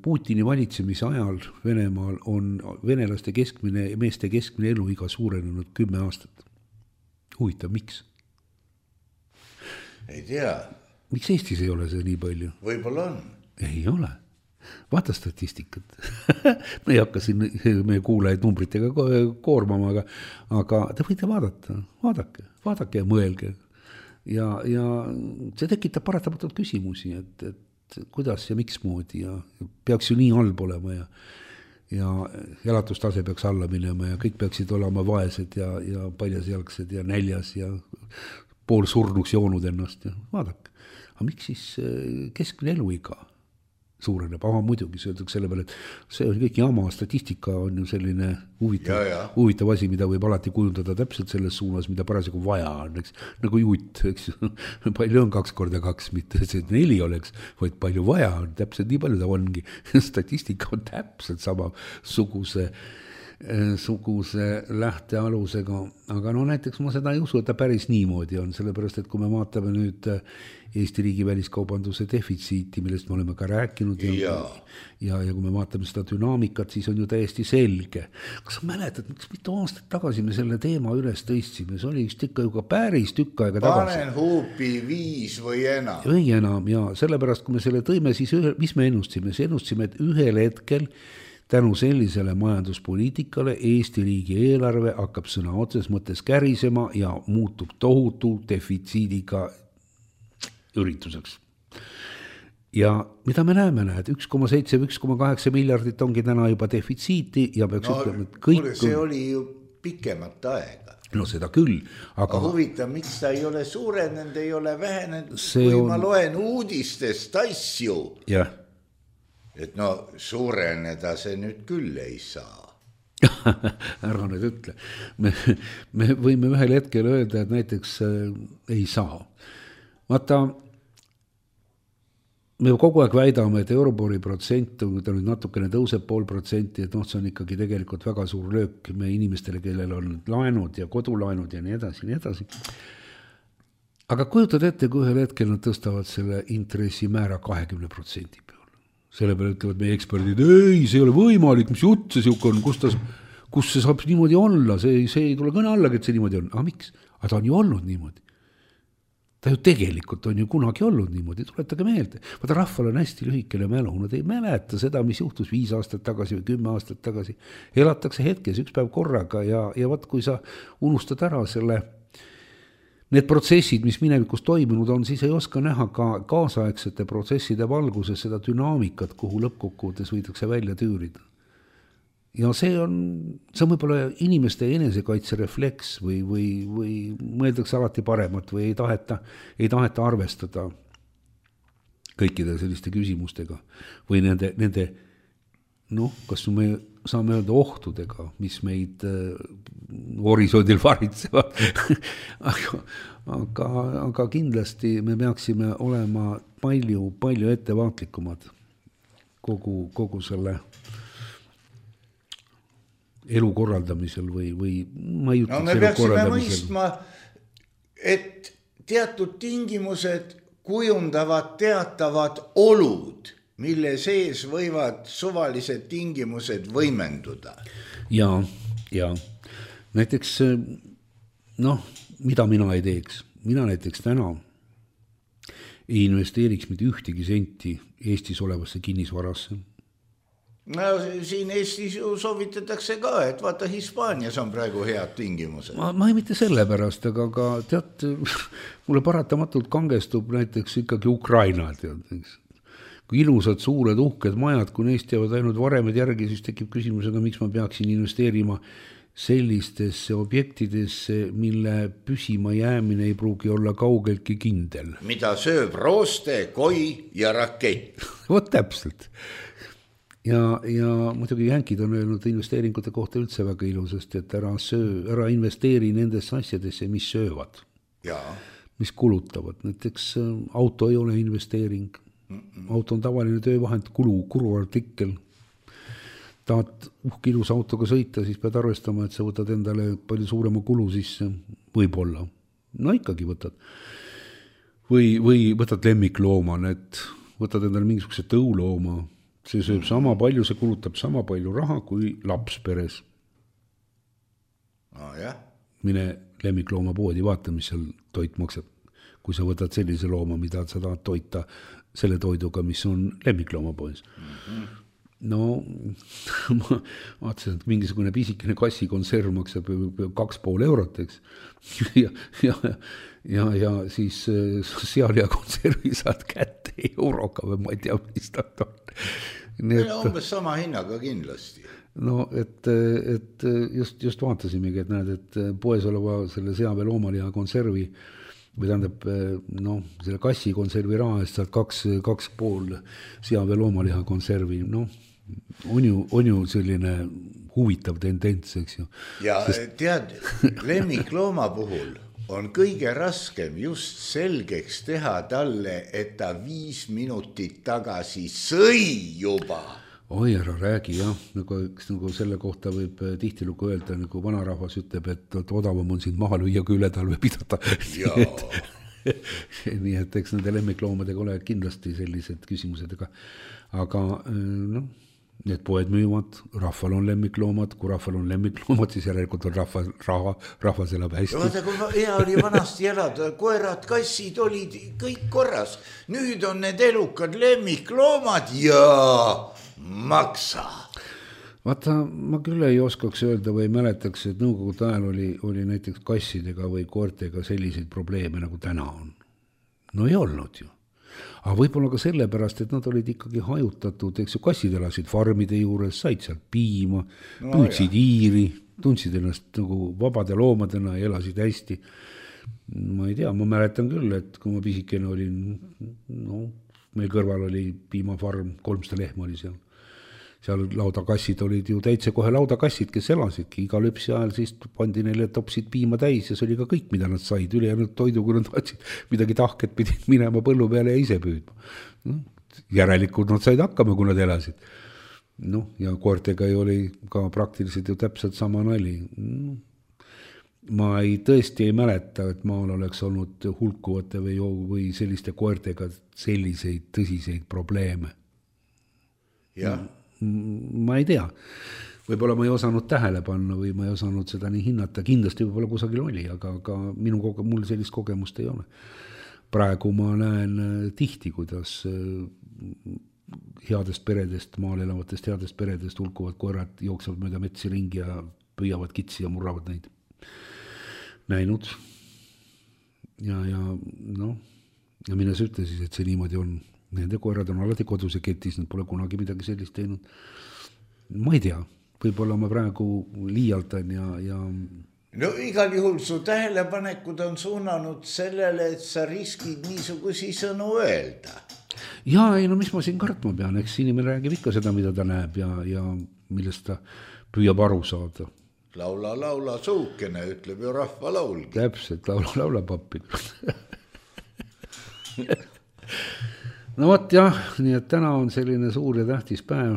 Putini valitsemise ajal Venemaal on venelaste keskmine, meeste keskmine eluiga suurenenud kümme aastat. Huvitav, miks? Ei tea. Miks Eestis ei ole see nii palju? Võib-olla on. Ei ole. Vaata statistikat. Me ei hakka siin meie kuulajaid numbritega koormama, aga, aga te võite vaadata. Vaadake, vaadake ja mõelge. Ja, ja see tekitab paratamatult küsimusi, et, et kuidas ja miks moodi ja peaks ju nii halb olema ja ja elatustase peaks alla minema ja kõik peaksid olema vaesed ja, ja paljasjalgsed ja näljas ja pool surnuks joonud ennast ja vaadake. Aga miks siis keskmine eluiga suureneb? Aha, muidugi söödaks selle peale, et see on kõik jama, statistika on ju selline huvitav, ja, ja. huvitav asi, mida võib alati kujundada täpselt selles suunas, mida parasjagu vaja on, eks, nagu jutt, eks, palju on kaks korda kaks, mitte see neli oleks, vaid palju vaja on, täpselt nii palju ta ongi. Statistika on täpselt sama suguse, suguse lähtealusega, aga no näiteks ma seda ei usu, et ta päris niimoodi on, sellepärast, et kui me vaatame nüüd Eesti riigi väliskaubanduse defitsiiti, millest me oleme ka rääkinud ja, ja. Ja, ja kui me vaatame seda dünaamikat, siis on ju täiesti selge. Kas sa mäletad, miks mitu aastat tagasi me selle teema üles tõistsime? See oli just ikka ju ka päris tükk aega tagasi. Panen huupi viis või enam. Või enam, ja sellepärast, kui me selle tõime, siis ühe, mis me ennustsime? See ennustsime, et ühel hetkel tänu sellisele majanduspoliitikale Eesti riigi eelarve hakkab sõna otses mõttes kärisema ja muutub tohutu defitsiidiga ürituseks. ja mida me näeme, näed, üks koma seitse, üks koma kaheksa miljardit ongi täna juba defitsiiti ja peaks no, ütlema, et kõik kuule, see oli ju pikemat aega. No seda küll, aga... Huvitav, miks ta ei ole suurenenud, ei ole vähenenud, kui on... ma loen uudistest asju. Jah. Et no suureneda see nüüd küll ei saa. Ära nüüd ütle. Me, me võime ühel hetkel öelda, et näiteks äh, ei saa. Vaata, me kogu aeg väidame, et Eurobori protsent, kui ta nüüd natukene tõuseb pool protsenti, et noh, see on ikkagi tegelikult väga suur löök me inimestele, kellel on laenud ja kodulaenud ja nii edasi, nii edasi. Aga kujutad ette, kui ühel hetkel nad tõstavad selle intressimäära kahekümne protsendi peale. Selle peale ütlevad meie eksperdid, ei, see ei ole võimalik, mis jutt see siuke on, kus, ta, kus see saab niimoodi olla, see, see ei tule kõne allagi, et see niimoodi on. Aga miks? Aga ta on ju olnud niimoodi. Ta ju tegelikult on ju kunagi olnud niimoodi, tuletage meelde. Vaata, rahval on hästi lühikene mälu, nad ei mäleta seda, mis juhtus viis aastat tagasi või kümme aastat tagasi. Elatakse hetkes üks päev korraga ja, ja vaat, kui sa unustad ära selle, need protsessid, mis minevikus toimunud on, siis ei oska näha ka kaasaegsete protsesside valguses seda dünaamikat, kuhu lõppkokkuvõttes võidakse välja tüürida. Ja see on, see on võib-olla inimeste enesekaitserefleks või, või, või mõeldakse alati paremat või ei taheta, ei taheta arvestada kõikide selliste küsimustega või nende, nende noh, kas me saame öelda ohtudega, mis meid äh, horisondil varitsevad. aga, aga, aga kindlasti me peaksime olema palju, palju ettevaatlikumad kogu, kogu selle elu korraldamisel või, või ma ei ütleks no, me peaksime mõistma, et teatud tingimused kujundavad teatavad olud, mille sees võivad suvalised tingimused võimenduda. Ja, ja näiteks noh, mida mina ei teeks, mina näiteks täna ei investeeriks mitte ühtegi senti Eestis olevasse kinnisvarasse. No siin Eestis ju soovitatakse ka, et vaata Hispaanias on praegu head tingimused. Ma, ma ei mitte selle pärast, aga, aga tead, mulle paratamatult kangestub näiteks ikkagi Ukraina, tead, kui ilusad suured uhked majad, kui neist jäävad ainult varemed järgi, siis tekib küsimus, aga miks ma peaksin investeerima sellistesse objektidesse, mille püsima jäämine ei pruugi olla kaugeltki kindel. Mida sööb rooste, koi ja rakett. Vot täpselt. Ja, ja muidugi jänkid on öelnud investeeringute kohta üldse väga ilusasti, et ära, söö, ära investeeri nendesse asjadesse, mis söövad, ja. Mis kulutavad. Näiteks auto ei ole investeering. Mm-mm. Auto on tavaline töövahend, kulu, kuruartikkel. Tahad uhk ilus autoga sõita, siis pead arvestama, et sa võtad endale palju suurema kulu sisse. Võib-olla. No ikkagi võtad. Või, või võtad lemmiklooma, et võtad endale mingisuguse tõulooma. See sööb sama palju, see kulutab sama palju raha kui laps peres. No, jah. Mine lemmiklooma poodi, vaata, mis seal toit maksab. Kui sa võtad sellise looma, mida sa tahad toita selle toiduga, mis on lemmiklooma poes. Mm-hmm. No, ma vaatasin, et mingisugune pisikene kassikonserv maksab kaks pool eurot, eks. Ja, ja, ja, ja siis sealia konservi saad kätte euroga või ma ei tea, mis ta on. Nii, et, umbes sama hinnaga kindlasti. No, et, et just, just vaatasimegi, et näed, et poes oleva selle seave loomaliha konservi või tähendab, no, selle kassi konservi raha eest saad kaks, kaks pool seave loomaliha konservi, noh, on ju, on ju selline huvitav tendents, eks ju. Ja Sest... tead, lemmiklooma puhul on kõige raskem just selgeks teha talle, et ta viis minutit tagasi sõi juba. Oi, ära räägi, jah. Nagu, nagu selle kohta võib tihtilugu öelda, nagu vanarahvas ütleb, et odavam on sind maha lüüa kui üle talve pidada. nii, et, nii et eks nende lemmikloomadega ole kindlasti sellised küsimused, aga, aga noh, need poed müüvad, rahval on lemmikloomad, kui rahval on lemmikloomad, siis järelikult on rahva, raha, rahvas elab hästi. Vaata, kui hea oli vanasti elada, koerad, kassid olid kõik korras. Nüüd on need elukad lemmikloomad ja maksa. Vaata, ma küll ei oskaks öelda või mäletaks, et nõukogude ajal oli, oli näiteks kassidega või koertega selliseid probleeme, nagu täna on. No ei olnud ju. aga võib-olla ka sellepärast, et nad olid ikkagi hajutatud, eks ju, kassid elasid farmide juures, said sealt piima, no, püüdsid hiiri, tundsid ennast nagu vabade loomadena ja elasid hästi. Ma ei tea, ma mäletan küll, et kui ma pisikene olin, no meil kõrval oli piimafarm, kolmsada lehma oli seal. Seal laudakassid olid ju täitsa kohe laudakassid, kes elasidki. Iga lõpsi ajal siis pandi neile topsid piima täis ja see oli ka kõik, mida nad said. Ülejäänud toidu, kui nad tahtsid midagi tahket, pidid minema põllu peale ja ise püüdma. No, järelikult nad said hakkama, kui nad elasid. No, ja koertega oli ka praktiliselt ju täpselt sama nali. No, ma ei, tõesti ei mäleta, et maal oleks olnud hulkuvate või, või selliste koertega selliseid tõsiseid probleeme. Jah. Ma ei tea, võib-olla ma ei osanud tähele panna või ma ei osanud seda nii hinnata, kindlasti võib-olla kusagil oli, aga, aga minu koge-, mul sellist kogemust ei ole. Praegu ma näen tihti, kuidas headest peredest, maal elavatest headest peredest hulkuvad koerad jooksevad mööda metsi ringi ja püüavad kitsi ja murravad neid. Näinud ja, ja noh, ja mine sa ütle siis, et see niimoodi on. Nende koerad on alati kodus ja ketis, nad pole kunagi midagi sellist teinud. Ma ei tea, võib-olla ma praegu liialtan ja, ja... No igal juhul su tähelepanekud on suunanud sellele, et sa riskid niisugusi sõnu öelda. Jaa, ei no mis ma siin kartma pean, eks inimene räägib ikka seda, mida ta näeb ja, ja millest ta püüab aru saada. Laula, laula suukene, ütleb ju rahva laulgi. Täpselt, laula, laula pappi. No vot jah, nii et täna on selline suur ja tähtis päev.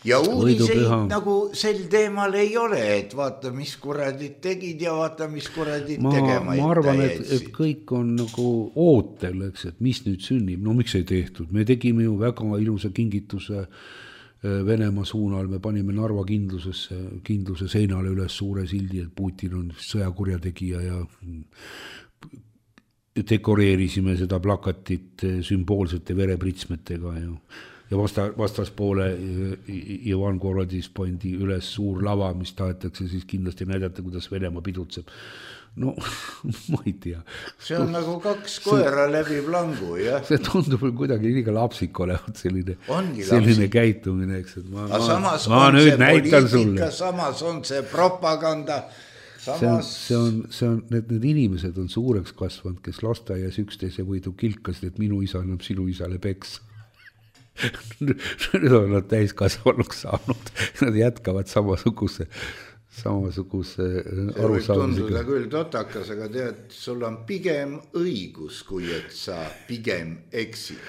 Ja uudiseid nagu sel teemal ei ole, et vaata, mis kuradid tegid ja vaata, mis kuradid ma, tegema. Ma arvan, et, et kõik on nagu ootel, eks, et mis nüüd sünnib. No miks ei tehtud? Me tegime ju väga ilusa kingituse Venemaa suunal, me panime Narva kindlusesse, kindluse seinale üles suure sildi, et Putin on sõjakurjategija ja dekoreerisime seda plakatit sümboolsete verepritsmetega ja, ja vasta, vastaspoole Ivan Korodis pandi üles suur lava, mis tahetakse siis kindlasti näidata, kuidas Venemaa pidutseb. No, ma ei tea. See on nagu kaks koera see, läbi plangu, jah? See tundub kuidagi liiga lapsik olevat selline, Ongi selline lapsik. Käitumine, eks, et ma, ma, samas ma on nüüd see näitan poliitika, sulle. Samas on see propaganda. Samas... See on, see on, see on, need, need inimesed on suureks kasvanud, kes lasteaias üksteise võidu kilkasid, et minu isa annab sinu isale peks. Nüüd on nad täiskasvanuks saanud. Nad jätkavad samasuguse, samasuguse see võib tunduda küll totakas, aga tead, sul on pigem õigus, kui et sa pigem eksid.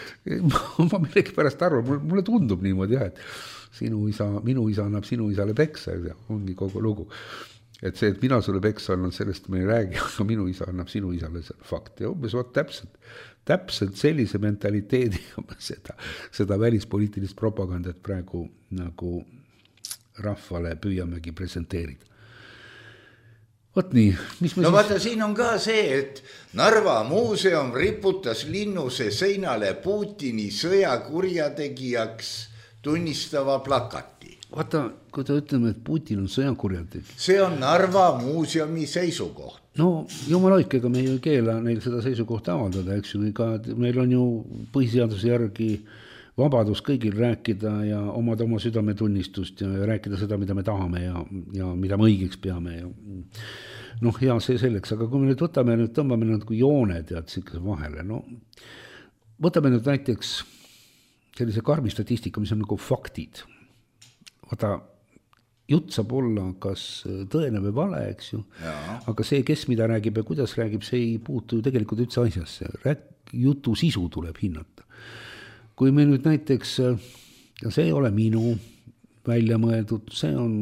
Ma millegi pärast arvan, mulle tundub niimoodi, jah, et sinu isa, minu isa annab sinu isale peksa, ongi kogu lugu. Et see, et mina sulle peksa annan, sellest me ei räägi, aga minu isa annab sinu isale fakt. Ja umbes vaat täpselt, täpselt sellise mentaliteediga seda, seda välispoliitilist propagandat praegu nagu rahvale püüamegi presenteerida. Vot nii. Mis no vaata, siin on ka see, et Narva muuseum riputas linnuse seinale Putini sõjakurjategijaks tunnistava plakati. Vaata, kui ta ütleme, et Putin on sõjakurjategija. See on Narva muuseumi seisukoht. No jumal oikega me ei keela neil seda seisukohta avaldada, eks ju, ka meil on ju põhiseaduse järgi vabadus kõigil rääkida ja omada oma südametunnistust ja rääkida seda, mida me tahame ja, ja mida me õigeks peame. Ja, noh, ja see selleks, aga kui me nüüd võtame, nüüd tõmbame nad kui jooned ja tsikse vahele, no võtame nüüd näiteks sellise karmi statistika, mis on nagu faktid. Vaata, jutt saab olla kas tõene või vale, eks ju, ja. Aga see, kes mida räägib ja kuidas räägib, see ei puutu tegelikult üldse asjasse. Rääk, jutu sisu tuleb hinnata. Kui me nüüd näiteks, ja see ei ole minu välja mõeldud, see on,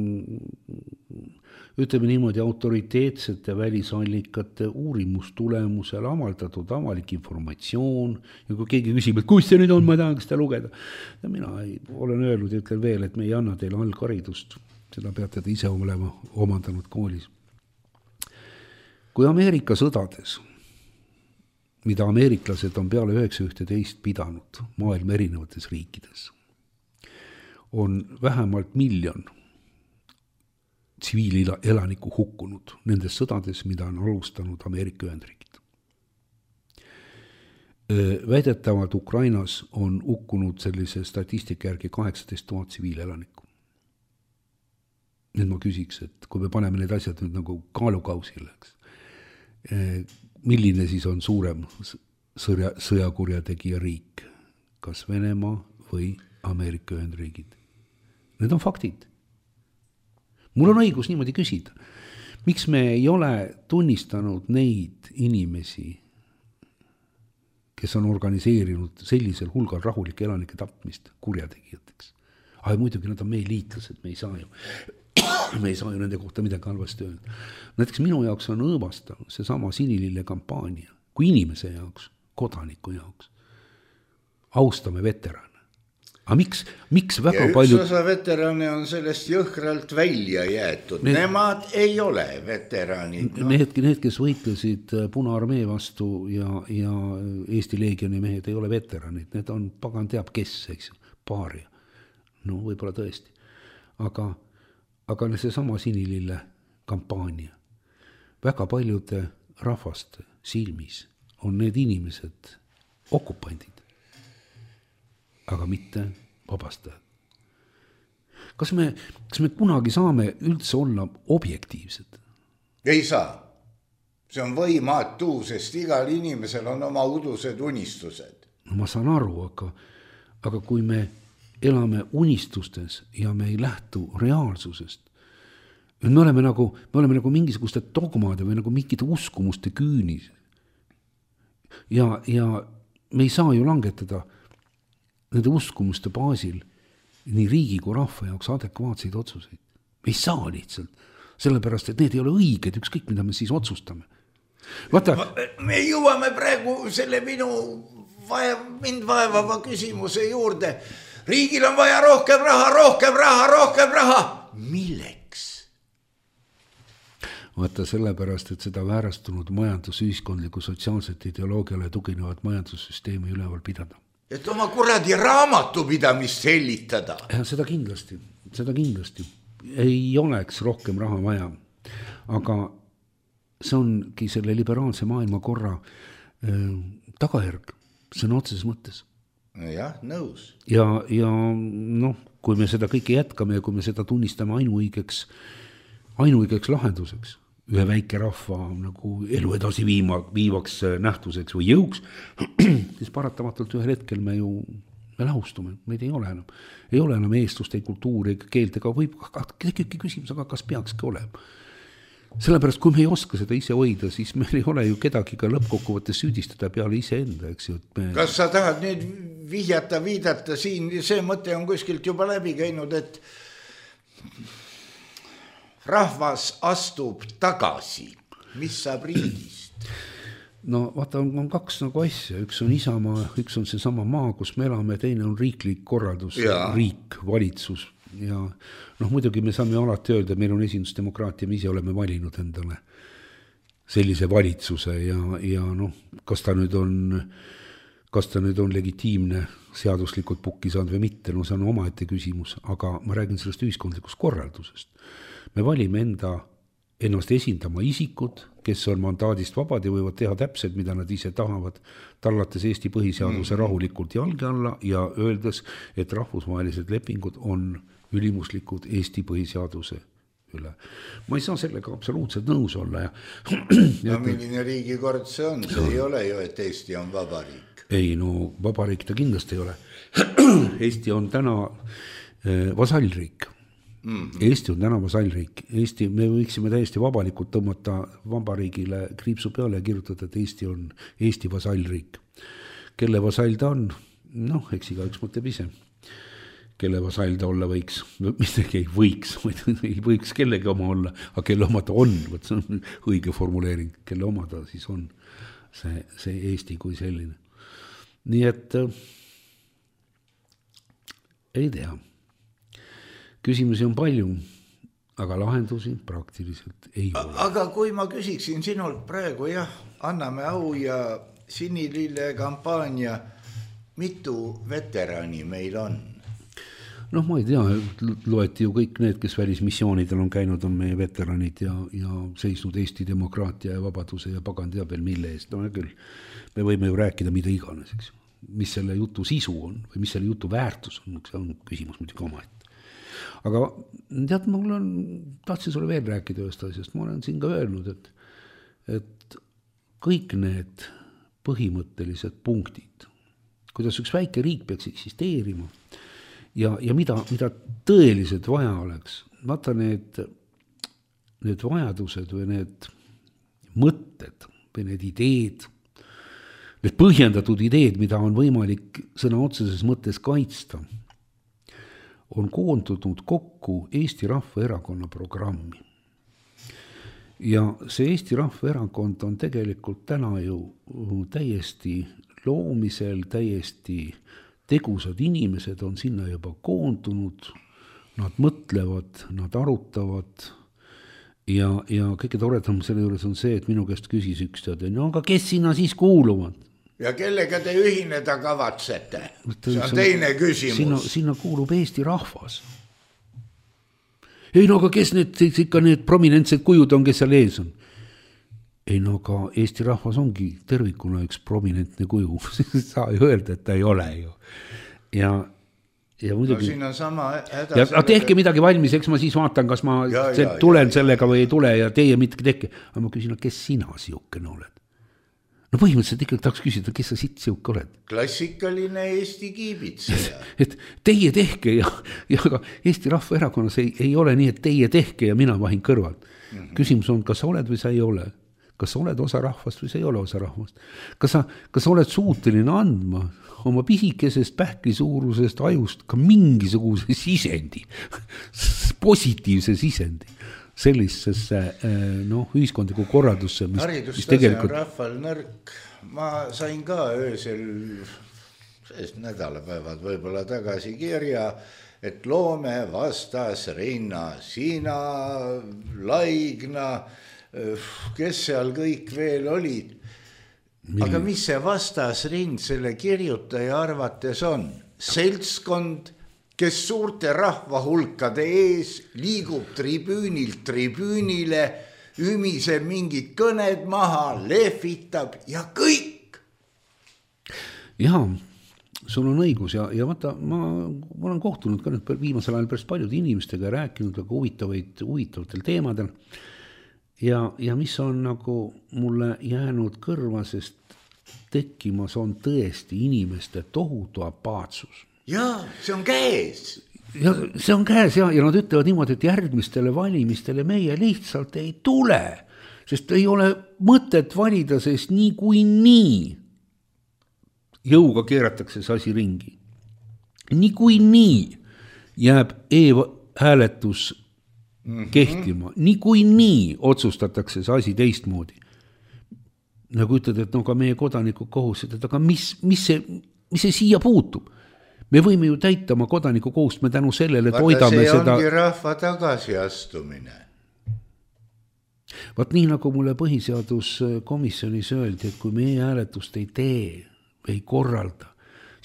ütleme niimoodi, autoriteetsete välisallikate uurimustulemusel avaldatud avalik informatsioon ja kui keegi küsib, et kus see nüüd on, ma tahan seda lugeda. Ja mina ei, olen öelnud ja ütlen veel, et me ei anna teile algharidust, seda peate te ise olema omandanud koolis. Kui Ameerika sõdades, mida ameeriklased on peale üheksa ühteteist pidanud maailma erinevates riikides, on vähemalt miljon tsiviilelaniku hukkunud nendes sõdades, mida on alustanud Ameerika Ühendriigid. väidetavalt Ukrainas on hukkunud sellise statistika järgi kaheksateist tuhat tsiviilelanikku. Nüüd ma küsiks, et kui me paneme need asjad nüüd nagu kaalukausile, milline siis on suurem sõja, sõjakurjategija riik, kas Venemaa või Ameerika Ühendriigid? Need on faktid. Mul on õigus niimoodi küsida. Miks me ei ole tunnistanud neid inimesi, kes on organiseerinud sellisel hulgal rahulike elanike tapmist kurjategijateks? Aga muidugi nad on meie liitlased, me ei saa ju, me ei saa ju nende kohta midagi halvasti öelda. Näiteks minu jaoks on õõvastav see sama sinilille kampaania, kui inimese jaoks, kodaniku jaoks. Austame veterane. Aga miks, miks väga ja üks palju... osa veterane on sellest jõhkralt välja jäetud. Need... Nemad ei ole veteranid. No. Need, need, kes võitlesid Punaarmee vastu ja, ja Eesti Leegioni mehed ei ole veteranid. Need on pagan teab kes, eks ju, paaria. No võib-olla tõesti. Aga, aga see sama sinilille kampaania. Väga paljude rahvaste silmis on need inimesed okupandid, aga mitte vabastajad. Kas me, kas me kunagi saame üldse olla objektiivsed? Ei saa. See on võimatu, sest igal inimesel on oma udused unistused. No ma saan aru, aga, aga kui me elame unistustes ja me ei lähtu reaalsusest, me oleme nagu, me oleme nagu mingisuguste dogmade või nagu mingite uskumuste küünis. Ja, ja me ei saa ju langetada nende uskumuste baasil nii riigi kui rahva jaoks adekvaatseid otsuseid. Me ei saa lihtsalt, sellepärast, et need ei ole õiged, ükskõik mida me siis otsustame. Vaata, me jõuame praegu selle minu vaev, mind vaevava küsimuse juurde. Riigil on vaja rohkem raha, rohkem raha, rohkem raha. Milleks? Vaata sellepärast, et seda väärastunud majandusühiskondliku sotsiaalset ideoloogiale tuginevat majandussüsteemi üleval pidada. Et oma kuradi raamatupidamist sellitada. Ja seda kindlasti, seda kindlasti. Ei oleks rohkem raha vaja. Aga see ongi selle liberaalse maailmakorra äh, tagajärg, see on otseses mõttes. Jah, nõus. Ja, ja noh, kui me seda kõike jätkame ja kui me seda tunnistame ainuõigeks, ainuõigeks lahenduseks, ühe väike rahva nagu elu edasi viima, viivaks nähtuseks või jõuks, siis paratamatult ühel hetkel me ju me lahustume, meid ei ole enam. Ei ole enam eestluste kultuuri ega keelt, ega võib tekibki küsimus, aga kas peakski olema. Sellepärast, kui me ei oska seda ise hoida, siis meil ei ole ju kedagi ka lõppkokkuvõttes süüdistada peale ise enda, eks ju. Me... Kas sa tahad nüüd vihjata, viidata siin, see mõte on kuskilt juba läbi käinud, et rahvas astub tagasi, mis saab riigist? No vaata, on, on kaks nagu asja, üks on Isamaa, üks on see sama maa, kus me elame, teine on riiklik korraldus, ja. Riik, valitsus. Ja noh, muidugi me saame alati öelda, meil on esindusdemokraatia, me ise oleme valinud endale sellise valitsuse ja, ja noh, kas ta nüüd on, kas ta nüüd on legitiimne seaduslikult pukki saanud või mitte, no see on omaette küsimus, aga ma räägin sellest ühiskondlikust korraldusest. Me valime enda, ennast esindama isikud, kes on mandaadist vabad ja võivad teha täpselt, mida nad ise tahavad, tallates Eesti põhiseaduse mm. rahulikult jalge alla ja öeldes, et rahvusvahelised lepingud on ülimuslikud Eesti põhiseaduse üle. Ma ei saa sellega absoluutselt nõus olla. Ja... no milline riigikord see on? See ei ole ju, et Eesti on vabariik. Ei, no vabariik ta kindlasti ei ole. Eesti on täna eh, vasallriik. Mm-hmm. Eesti on täna vasallriik. Eesti, me võiksime täiesti vabalikult tõmmata vabariigile kriipsu peale ja kirjutada, et Eesti on Eesti vasallriik. Kelle vasall ta on? Noh, eks iga üks mõtleb ise. Kelle vasall ta olla võiks, midagi ei võiks, ei võiks kellegi oma olla, aga kelle oma ta on, võt see on õige formuleering, kelle oma ta siis on see, see Eesti kui selline. Nii et äh, ei tea. Küsimusi on palju, aga lahendusi praktiliselt ei ole. Aga kui ma küsiksin sinult praegu, jah, anname au ja sinilille kampaania, mitu veterani meil on? noh, ma ei tea, loeti ju kõik need, kes välismissioonidel on käinud, on meie veteranid ja, ja seisnud Eesti demokraatia ja vabaduse ja pagan teab veel mille eest. No küll, me võime ju rääkida mida iganes, eks. Mis selle jutu sisu on või mis selle jutu väärtus on, see on küsimus muidugi oma ette. Aga tead, mul on, tahtsin sulle veel rääkida ühest asjast, ma olen siin ka öelnud, et, et kõik need põhimõttelised punktid, kuidas üks väike riik peaks eksisteerima ja, ja mida, mida tõeliselt vaja oleks. Vaata need, need vajadused või need mõtted või need ideed, need põhjendatud ideed, mida on võimalik sõna otseses mõttes kaitsta, on koondunud kokku Eesti Rahvaerakonna programmi. Ja see Eesti Rahvaerakond on tegelikult täna ju täiesti loomisel, täiesti tegusad inimesed on sinna juba koondunud, nad mõtlevad, nad arutavad ja, ja kõige toredam selle juures on see, et minu käest küsis üks teade, no aga kes sinna siis kuuluvad? Ja kellega te ühineda kavatsete? See on teine küsimus. Sinna, sinna kuulub Eesti rahvas. Ei no aga kes need, ikka need prominentsed kujud on, kes seal ees on? Ei no aga Eesti rahvas ongi tervikuna üks prominentne kuju. Saa ju öelda, et ta ei ole ju. Ja, ja muidugi... No siin on sama häda... Ja, sellega... tehke midagi valmis, eks ma siis vaatan, kas ma ja, ja, tulen ja, sellega või ei tule ja teie mitte tehke. Aga ma küsin, kes sina siukene oled? No põhimõtteliselt ikkagi tahaks küsida, kes sa siit siuke oled? Klassikaline Eesti kiibitseja. Et teie tehke ja, ja aga Eesti Rahvaerakonnas ei, ei ole nii, et teie tehke ja mina vahin kõrvalt. Mm-hmm. Küsimus on, kas sa oled või sa ei ole? Kas sa oled osa rahvast või sa ei ole osa rahvast? Kas sa, kas sa oled suuteline andma oma pisikesest pähkli suurusest ajust ka mingisuguse sisendi, positiivse sisendi sellisesse noh, ühiskondliku korraldusse, mis, mis tegelikult... on rahval nõrk. Ma sain ka öösel sest nädalapäevad võib-olla tagasi kirja, et loome vastas rinna, sina, Laigna, kes seal kõik veel olid. Aga mis see vastasrind selle kirjutaja arvates on? Seltskond, kes suurte rahvahulkade ees liigub tribüünilt tribüünile, ümiseb mingid kõned maha, lehvitab ja kõik. Jaa, sul on õigus ja, ja vaata, ma, ma olen kohtunud ka nüüd viimasel ajal päris paljude inimestega ja rääkinud väga huvitavaid, huvitavatel teemadel. Ja, ja mis on nagu mulle jäänud kõrva, sest tekkimas on tõesti inimeste tohutu apaatsus. Jaa, see on käes. Ja see on käes ja, ja nad ütlevad niimoodi, et järgmistele valimistele meie lihtsalt ei tule, sest ei ole mõtet valida, sest nii kui nii jõuga keeratakse see asi ringi. Nii kui nii jääb e-hääletus Mm-hmm. kehtima. Nii kui nii otsustatakse see asi teistmoodi. Nagu ütled, et no ka meie kodanikud kohused, et aga mis, mis, see, mis see siia puutub? Me võime ju täita oma kodaniku kohust, me tänu sellele Vaata, toidame seda... seda... see ongi rahva tagasiastumine. Vaat nii nagu mulle põhiseaduskomisjonis öeldi, et kui meie hääletust ei tee, ei korralda,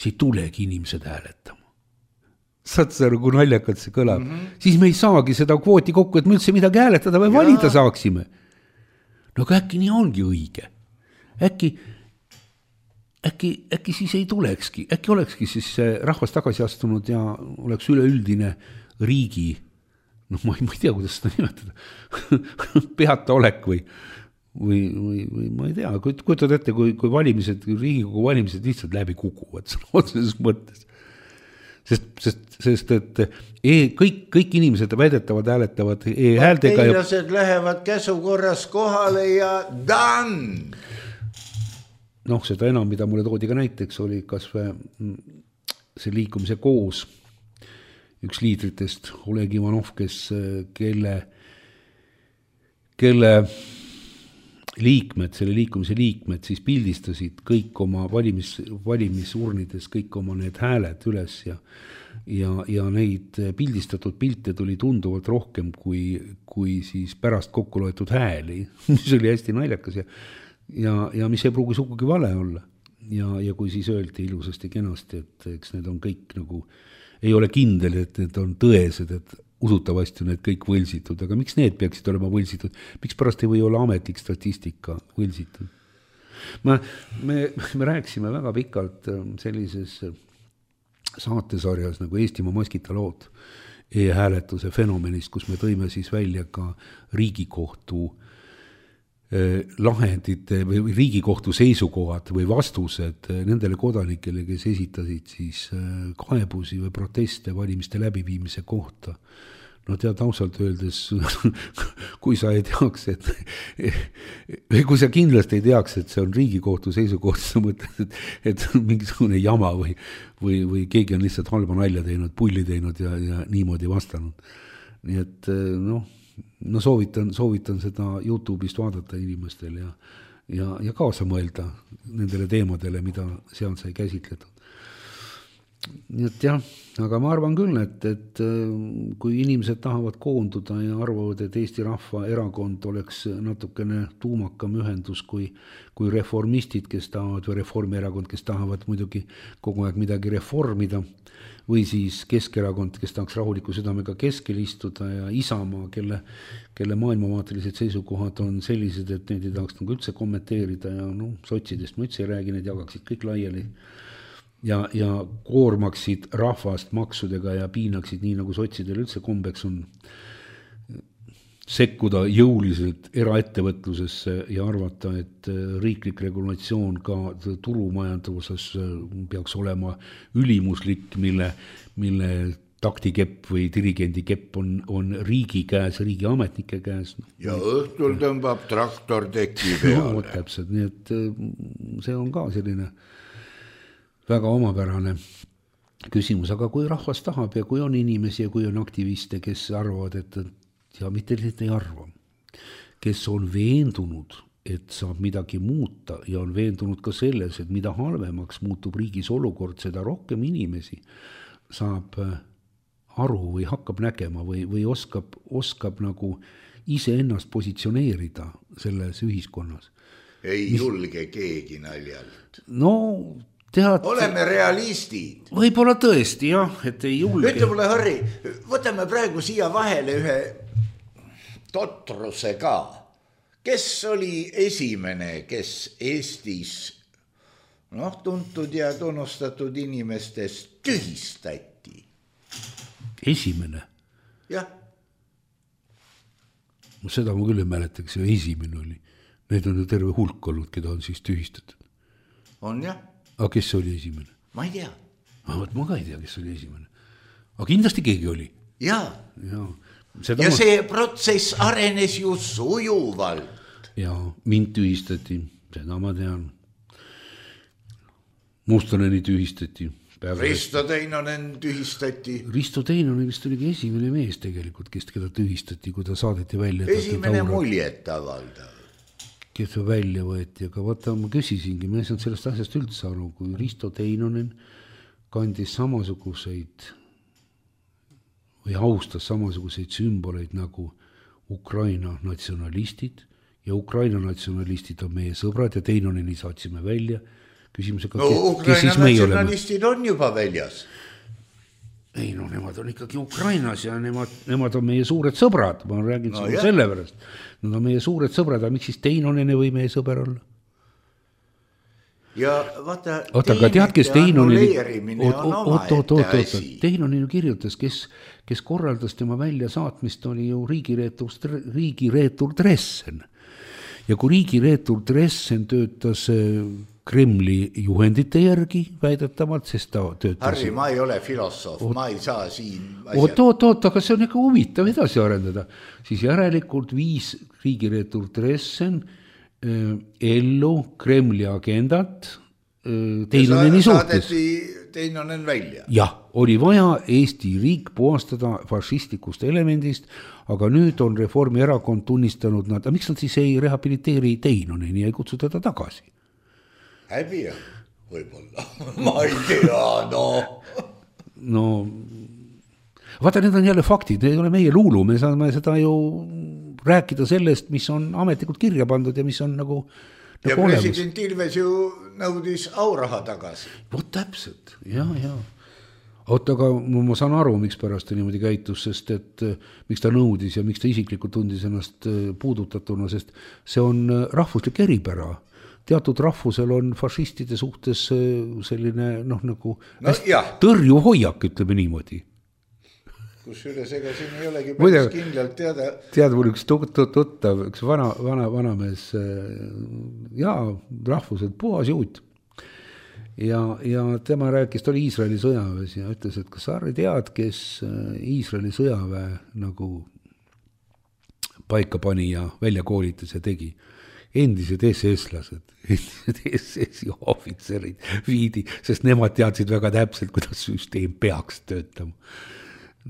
siis ei tulegi inimesed hääletama. Saad sa kui naljakalt see kõlab, mm-hmm. siis me ei saagi seda kvooti kokku, et me üldse midagi hääletada või Jaa. valida saaksime. No aga äkki nii ongi õige. Äkki, äkki, äkki siis ei tulekski, äkki olekski siis rahvas tagasi astunud ja oleks üleüldine riigi, noh ma ei, ma ei tea, kuidas seda nimetada, peata olek või, või, või, või ma ei tea, kujutad ette, kui, kui valimised, Riigikogu valimised lihtsalt läbi kukuvad otseses mõttes. Sest, sest, sest et e, kõik, kõik inimesed väidetavad hääletavad e-häältega. Parteilased ja... lähevad käsukorras kohale ja done! Noh, seda enam, mida mulle toodi ka näiteks, oli kas või see liikumise koos üks liidritest, Oleg Ivanov, kes, kelle, kelle liikmed, selle liikumise liikmed siis pildistasid kõik oma valimis, valimisurnides, kõik oma need hääled üles ja, ja, ja neid pildistatud pilte tuli tunduvalt rohkem kui, kui siis pärast kokku loetud hääli, mis oli hästi naljakas ja, ja, ja mis ei pruugi sugugi vale olla. ja, ja kui siis öeldi ilusasti kenasti, et eks need on kõik nagu, ei ole kindel, et need on tõesed, et usutavasti on need kõik võlsitud, aga miks need peaksid olema võlsitud? Miks pärast ei või olla ametlik statistika võlsitud? Ma, me, me rääkisime väga pikalt sellises saatesarjas nagu Eestimaa maskita lood e-hääletuse fenomenist, kus me tõime siis välja ka Riigikohtu lahendite või Riigikohtu seisukohad või vastused nendele kodanikele, kes esitasid siis kaebusi või proteste valimiste läbiviimise kohta. No tead, ausalt öeldes, kui sa ei teaks, et või kui sa kindlasti ei teaks, et see on Riigikohtu seisukoht, sa mõtled, et, et on mingisugune jama või, või, või keegi on lihtsalt halba nalja teinud, pulli teinud ja, ja niimoodi vastanud. Nii et noh, no soovitan, soovitan seda YouTube'ist vaadata inimestel ja, ja, ja kaasa mõelda nendele teemadele, mida seal sai käsitletud. Nii et jah, aga ma arvan küll, et, et kui inimesed tahavad koonduda ja arvavad, et Eesti Rahva Erakond oleks natukene tuumakam ühendus kui, kui reformistid, kes tahavad, või Reformierakond, kes tahavad muidugi kogu aeg midagi reformida, või siis Keskerakond, kes tahaks rahuliku südamega keskel istuda ja Isamaa, kelle, kelle maailmavaatelised seisukohad on sellised, et neid ei tahaks nagu üldse kommenteerida ja no, sotsidest ma üldse ei räägi, need jagaksid kõik laiali ja, ja koormaksid rahvast maksudega ja piinaksid nii, nagu sotsidel üldse kombeks on sekkuda jõuliselt eraettevõtlusesse ja arvata, et riiklik regulatsioon ka turumajanduses peaks olema ülimuslik, mille, mille taktikepp või dirigendikepp on, on riigi käes, riigi ametnike käes. Ja õhtul tõmbab traktor teki peale. No, täpselt, nii et see on ka selline väga omapärane küsimus, aga kui rahvas tahab ja kui on inimesi ja kui on aktiviste, kes arvavad, et ja mitte lihtsalt ei arva, kes on veendunud, et saab midagi muuta ja on veendunud ka selles, et mida halvemaks muutub riigis olukord, seda rohkem inimesi saab aru või hakkab nägema või, või oskab, oskab nagu iseennast positsioneerida selles ühiskonnas. Ei Mis... julge keegi naljalt. No tead... Oleme realistid. Võib-olla tõesti, jah, et ei julge. Ütle mulle, Harri, võtame praegu siia vahele ühe totruse ka. Kes oli esimene, kes Eestis noh, tuntud ja tunnustatud inimestest tühistati? Esimene? Jah. No seda ma küll ei mäletaks, ja esimene oli. Need on ju terve hulk olnud, keda on siis tühistatud. On jah. Aga kes oli esimene? Ma ei tea. Ma, ma ka ei tea, kes oli esimene. Aga kindlasti keegi oli. Jaa. Jaa. Seda ja ma... see protsess arenes ju sujuvalt. Ja mind tühistati, seda ma tean. Mustoneni tühistati. Risto Teinonen tühistati. Risto Teinonen vist oligi esimene mees tegelikult, kes keda tühistati, kui ta saadeti välja. Esimene muljet avaldav. Kes välja võeti, aga vaata, ma küsisingi, ma ei saanud sellest asjast üldse aru, kui Risto Teinonen kandis samasuguseid või austas samasuguseid sümboleid nagu Ukraina natsionalistid ja Ukraina natsionalistid on meie sõbrad ja Teinoneni saatsime välja küsimusega, no, kes, kes siis meie oleme. Natsionalistid on juba väljas. Ei, no nemad on ikkagi Ukrainas ja nemad, nemad on meie suured sõbrad, ma räägin no, selle pärast. Nad on meie suured sõbrad, aga miks siis Teinonene või meie sõber olla? Ja vaata, Oota, tead, kes Teinoneni Teinoneni kirjutas, kes, kes korraldas tema välja saatmist, oli ju riigireetur, riigireetur Dressen. Ja kui riigireetur Dressen töötas Kremli juhendite järgi väidetavalt, sest ta töötas... Harri, ma ei ole filosoof, oot, ma ei saa siin asjad... Oot, oot, oot, aga see on ikka huvitav edasi arendada. Siis järelikult viis riigireetur Dressen ellu Kremli agendat Teinoneni suhtes. Teinonen välja. Jah, oli vaja Eesti riik puhastada fašistikust elemendist, aga nüüd on Reformierakond tunnistanud nad, aga miks nad siis ei rehabiliteeri Teinoneni ja ei kutsu teda tagasi? Häbi on, võib-olla. Ma ei tea, no. No, vaata, need on jälle faktid, need ei ole meie luulu, me saame seda ju rääkida sellest, mis on ametlikult kirja pandud ja mis on nagu, ja nagu president olemas. Ilves ju nõudis auraha tagasi. Vot täpselt, ja, ja. Oot, aga ma saan aru, miks pärast ta niimoodi käitus, sest et miks ta nõudis ja miks ta isiklikult tundis ennast puudutatuna, sest see on rahvuslik eripära. Teatud rahvusel on fašistide suhtes selline noh, nagu no, tõrju hoiak, ütleme niimoodi. Kus üles, ega siin ei olegi päris kindlalt teada. Tead, mul üks tuttav, üks vana, vana, vanamees, jaa, rahvuselt puhas juut. Ja, ja tema rääkis, ta oli Iisraeli sõjaväes ja ütles, et kas sa tead, kes Iisraeli sõjaväe nagu paika pani ja välja koolitas ja tegi? Endised S S-lased, endised S S-i ohvitserid viidi, sest nemad teadsid väga täpselt, kuidas süsteem peaks töötama.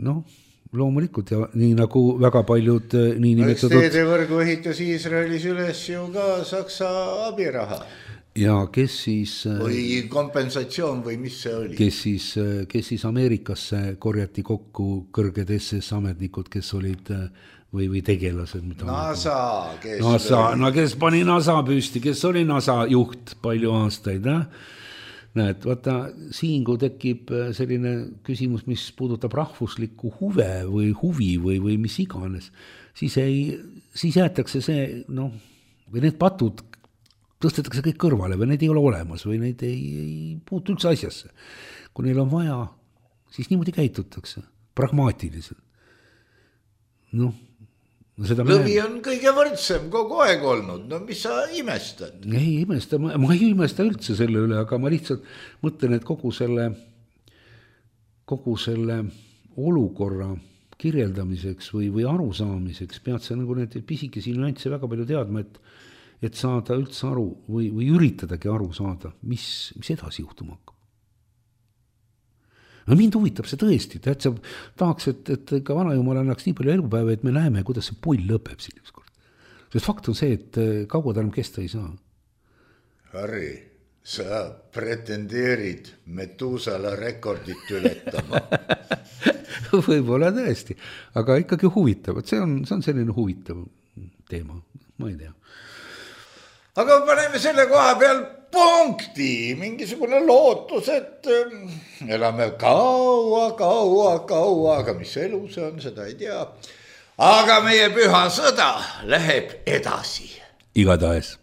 Noh, loomulikult ja nii nagu väga paljud nii nimetatud... Teedevõrgu ehitas Iisraelis üles ju ka Saksa abiraha. Ja kes siis... Või kompensatsioon või mis see oli? Kes siis, kes siis Ameerikasse korjati kokku kõrged S S-ametnikud, kes olid... või, või tegelased. Mida NASA, kes, NASA no, kes pani NASA püsti, kes oli NASA juht palju aastaid. Äh? Näed, vaata, siin kui tekib selline küsimus, mis puudutab rahvuslikku huve või huvi või, või mis iganes, siis, ei, siis jäetakse see, noh, või need patud tõstetakse kõik kõrvale või neid ei ole olemas või neid ei, ei puutu üldse asjasse. Kui neil on vaja, siis niimoodi käitutakse, pragmaatiliselt. Noh, lõvi on kõige võrdsem kogu aeg olnud, no mis sa imestad? Ei imesta, ma, ma ei imesta üldse selle üle, aga ma lihtsalt mõtlen, et kogu selle, kogu selle olukorra kirjeldamiseks või, või arusaamiseks pead sa nagu need pisikesi nüansse väga palju teadma, et, et saada üldse aru või, või üritadagi aru saada, mis, mis edasi juhtuma hakkab. No mind huvitab see tõesti, et sa tahaks, et, et ka vanajumal annaks nii palju elupäeva, et me näeme, kuidas see pull lõpeb siin ükskord. Sest fakt on see, et kaua ta enam kesta ei saa. Harri, sa pretendeerid Metusala rekordit ületama. Võib-olla tõesti, aga ikkagi huvitav. See on, see on selline huvitav teema, ma ei tea. Aga paneme selle koha peal punkti, mingisugune lootus, et elame kaua, kaua, kaua, aga mis elu see on, seda ei tea. Aga meie püha sõda läheb edasi. Igatahes.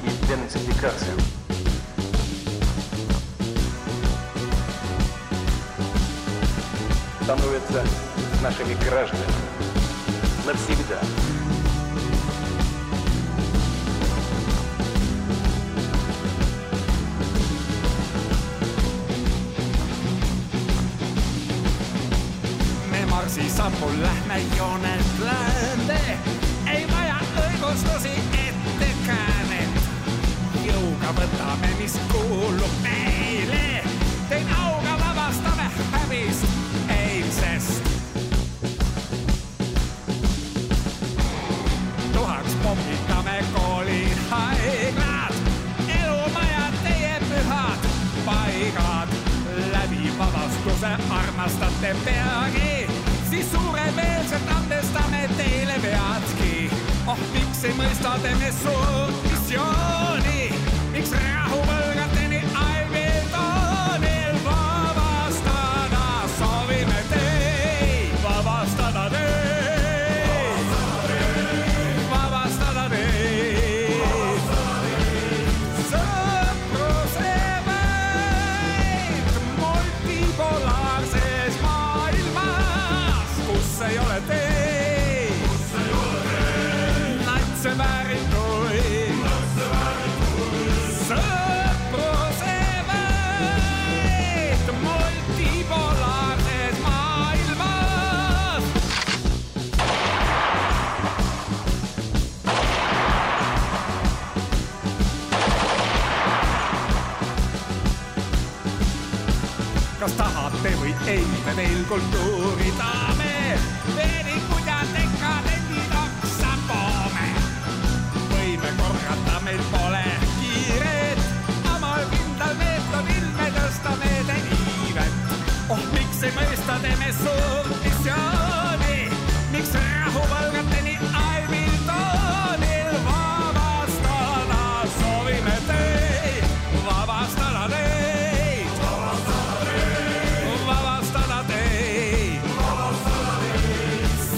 и денацификацию. Становятся нашими гражданами навсегда. Me marsi sammul lähme joonelt läände, ei vaja õigustusi ettekäänet. Jõuga võtame, mis kuulub meile, tein auga vabastame hävist eilsest. Tuhaks pommitame koolid, haiglad, elumajad, teie pühad paigad. Läbi vabastuse armastate peagi, siis suuremeelselt andestame teile veadki. Oh, miks ei mõista teeme suur missiooni, miks rahuvõlgateni aivil toonil vabastada soovime teid, vabastada teid, vabastada teid, sõpruse võit multipolaarses maailmas, kus ei ole teid, natse väärituid, sõpruse võit multipolaarses maailmas. Kas tahate või ei, me veel kultuuri taame, veerikud ja dekadendid oksa poome. Võime korrata meil pole kiiret, omal kindal meetodil me tõstame te iivet. Oh, miks ei mõista teeme suurt missiooni, miks rahuvalgateni Aimiltonil vabastada soovime teid, vabastada teid, vabastada teid,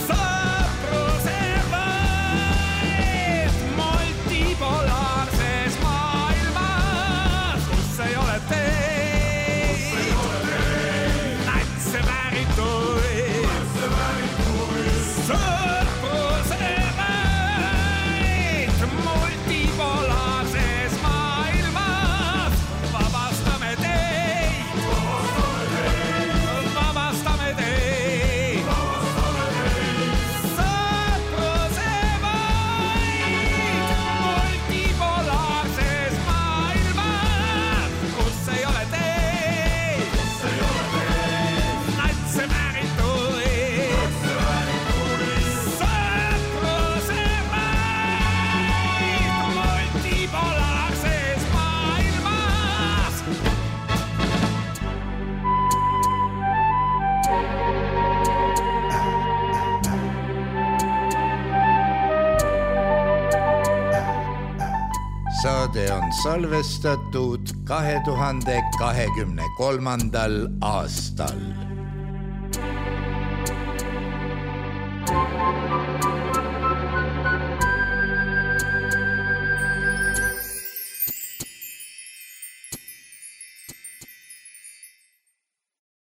sõpruse võit multipolaarses maailmas, kus ei ole teid, natse väärituid, sõpruse võit multipolaarses maailmas, vabastame teid, vabastame teid, sõpruse võit multipolaarses maailmas, kus ei ole teid, natse väärituid, sõpruse võit multipolaarses maailmas. Saade on salvestatud kahe tuhande kahekümne kolmandal aastal.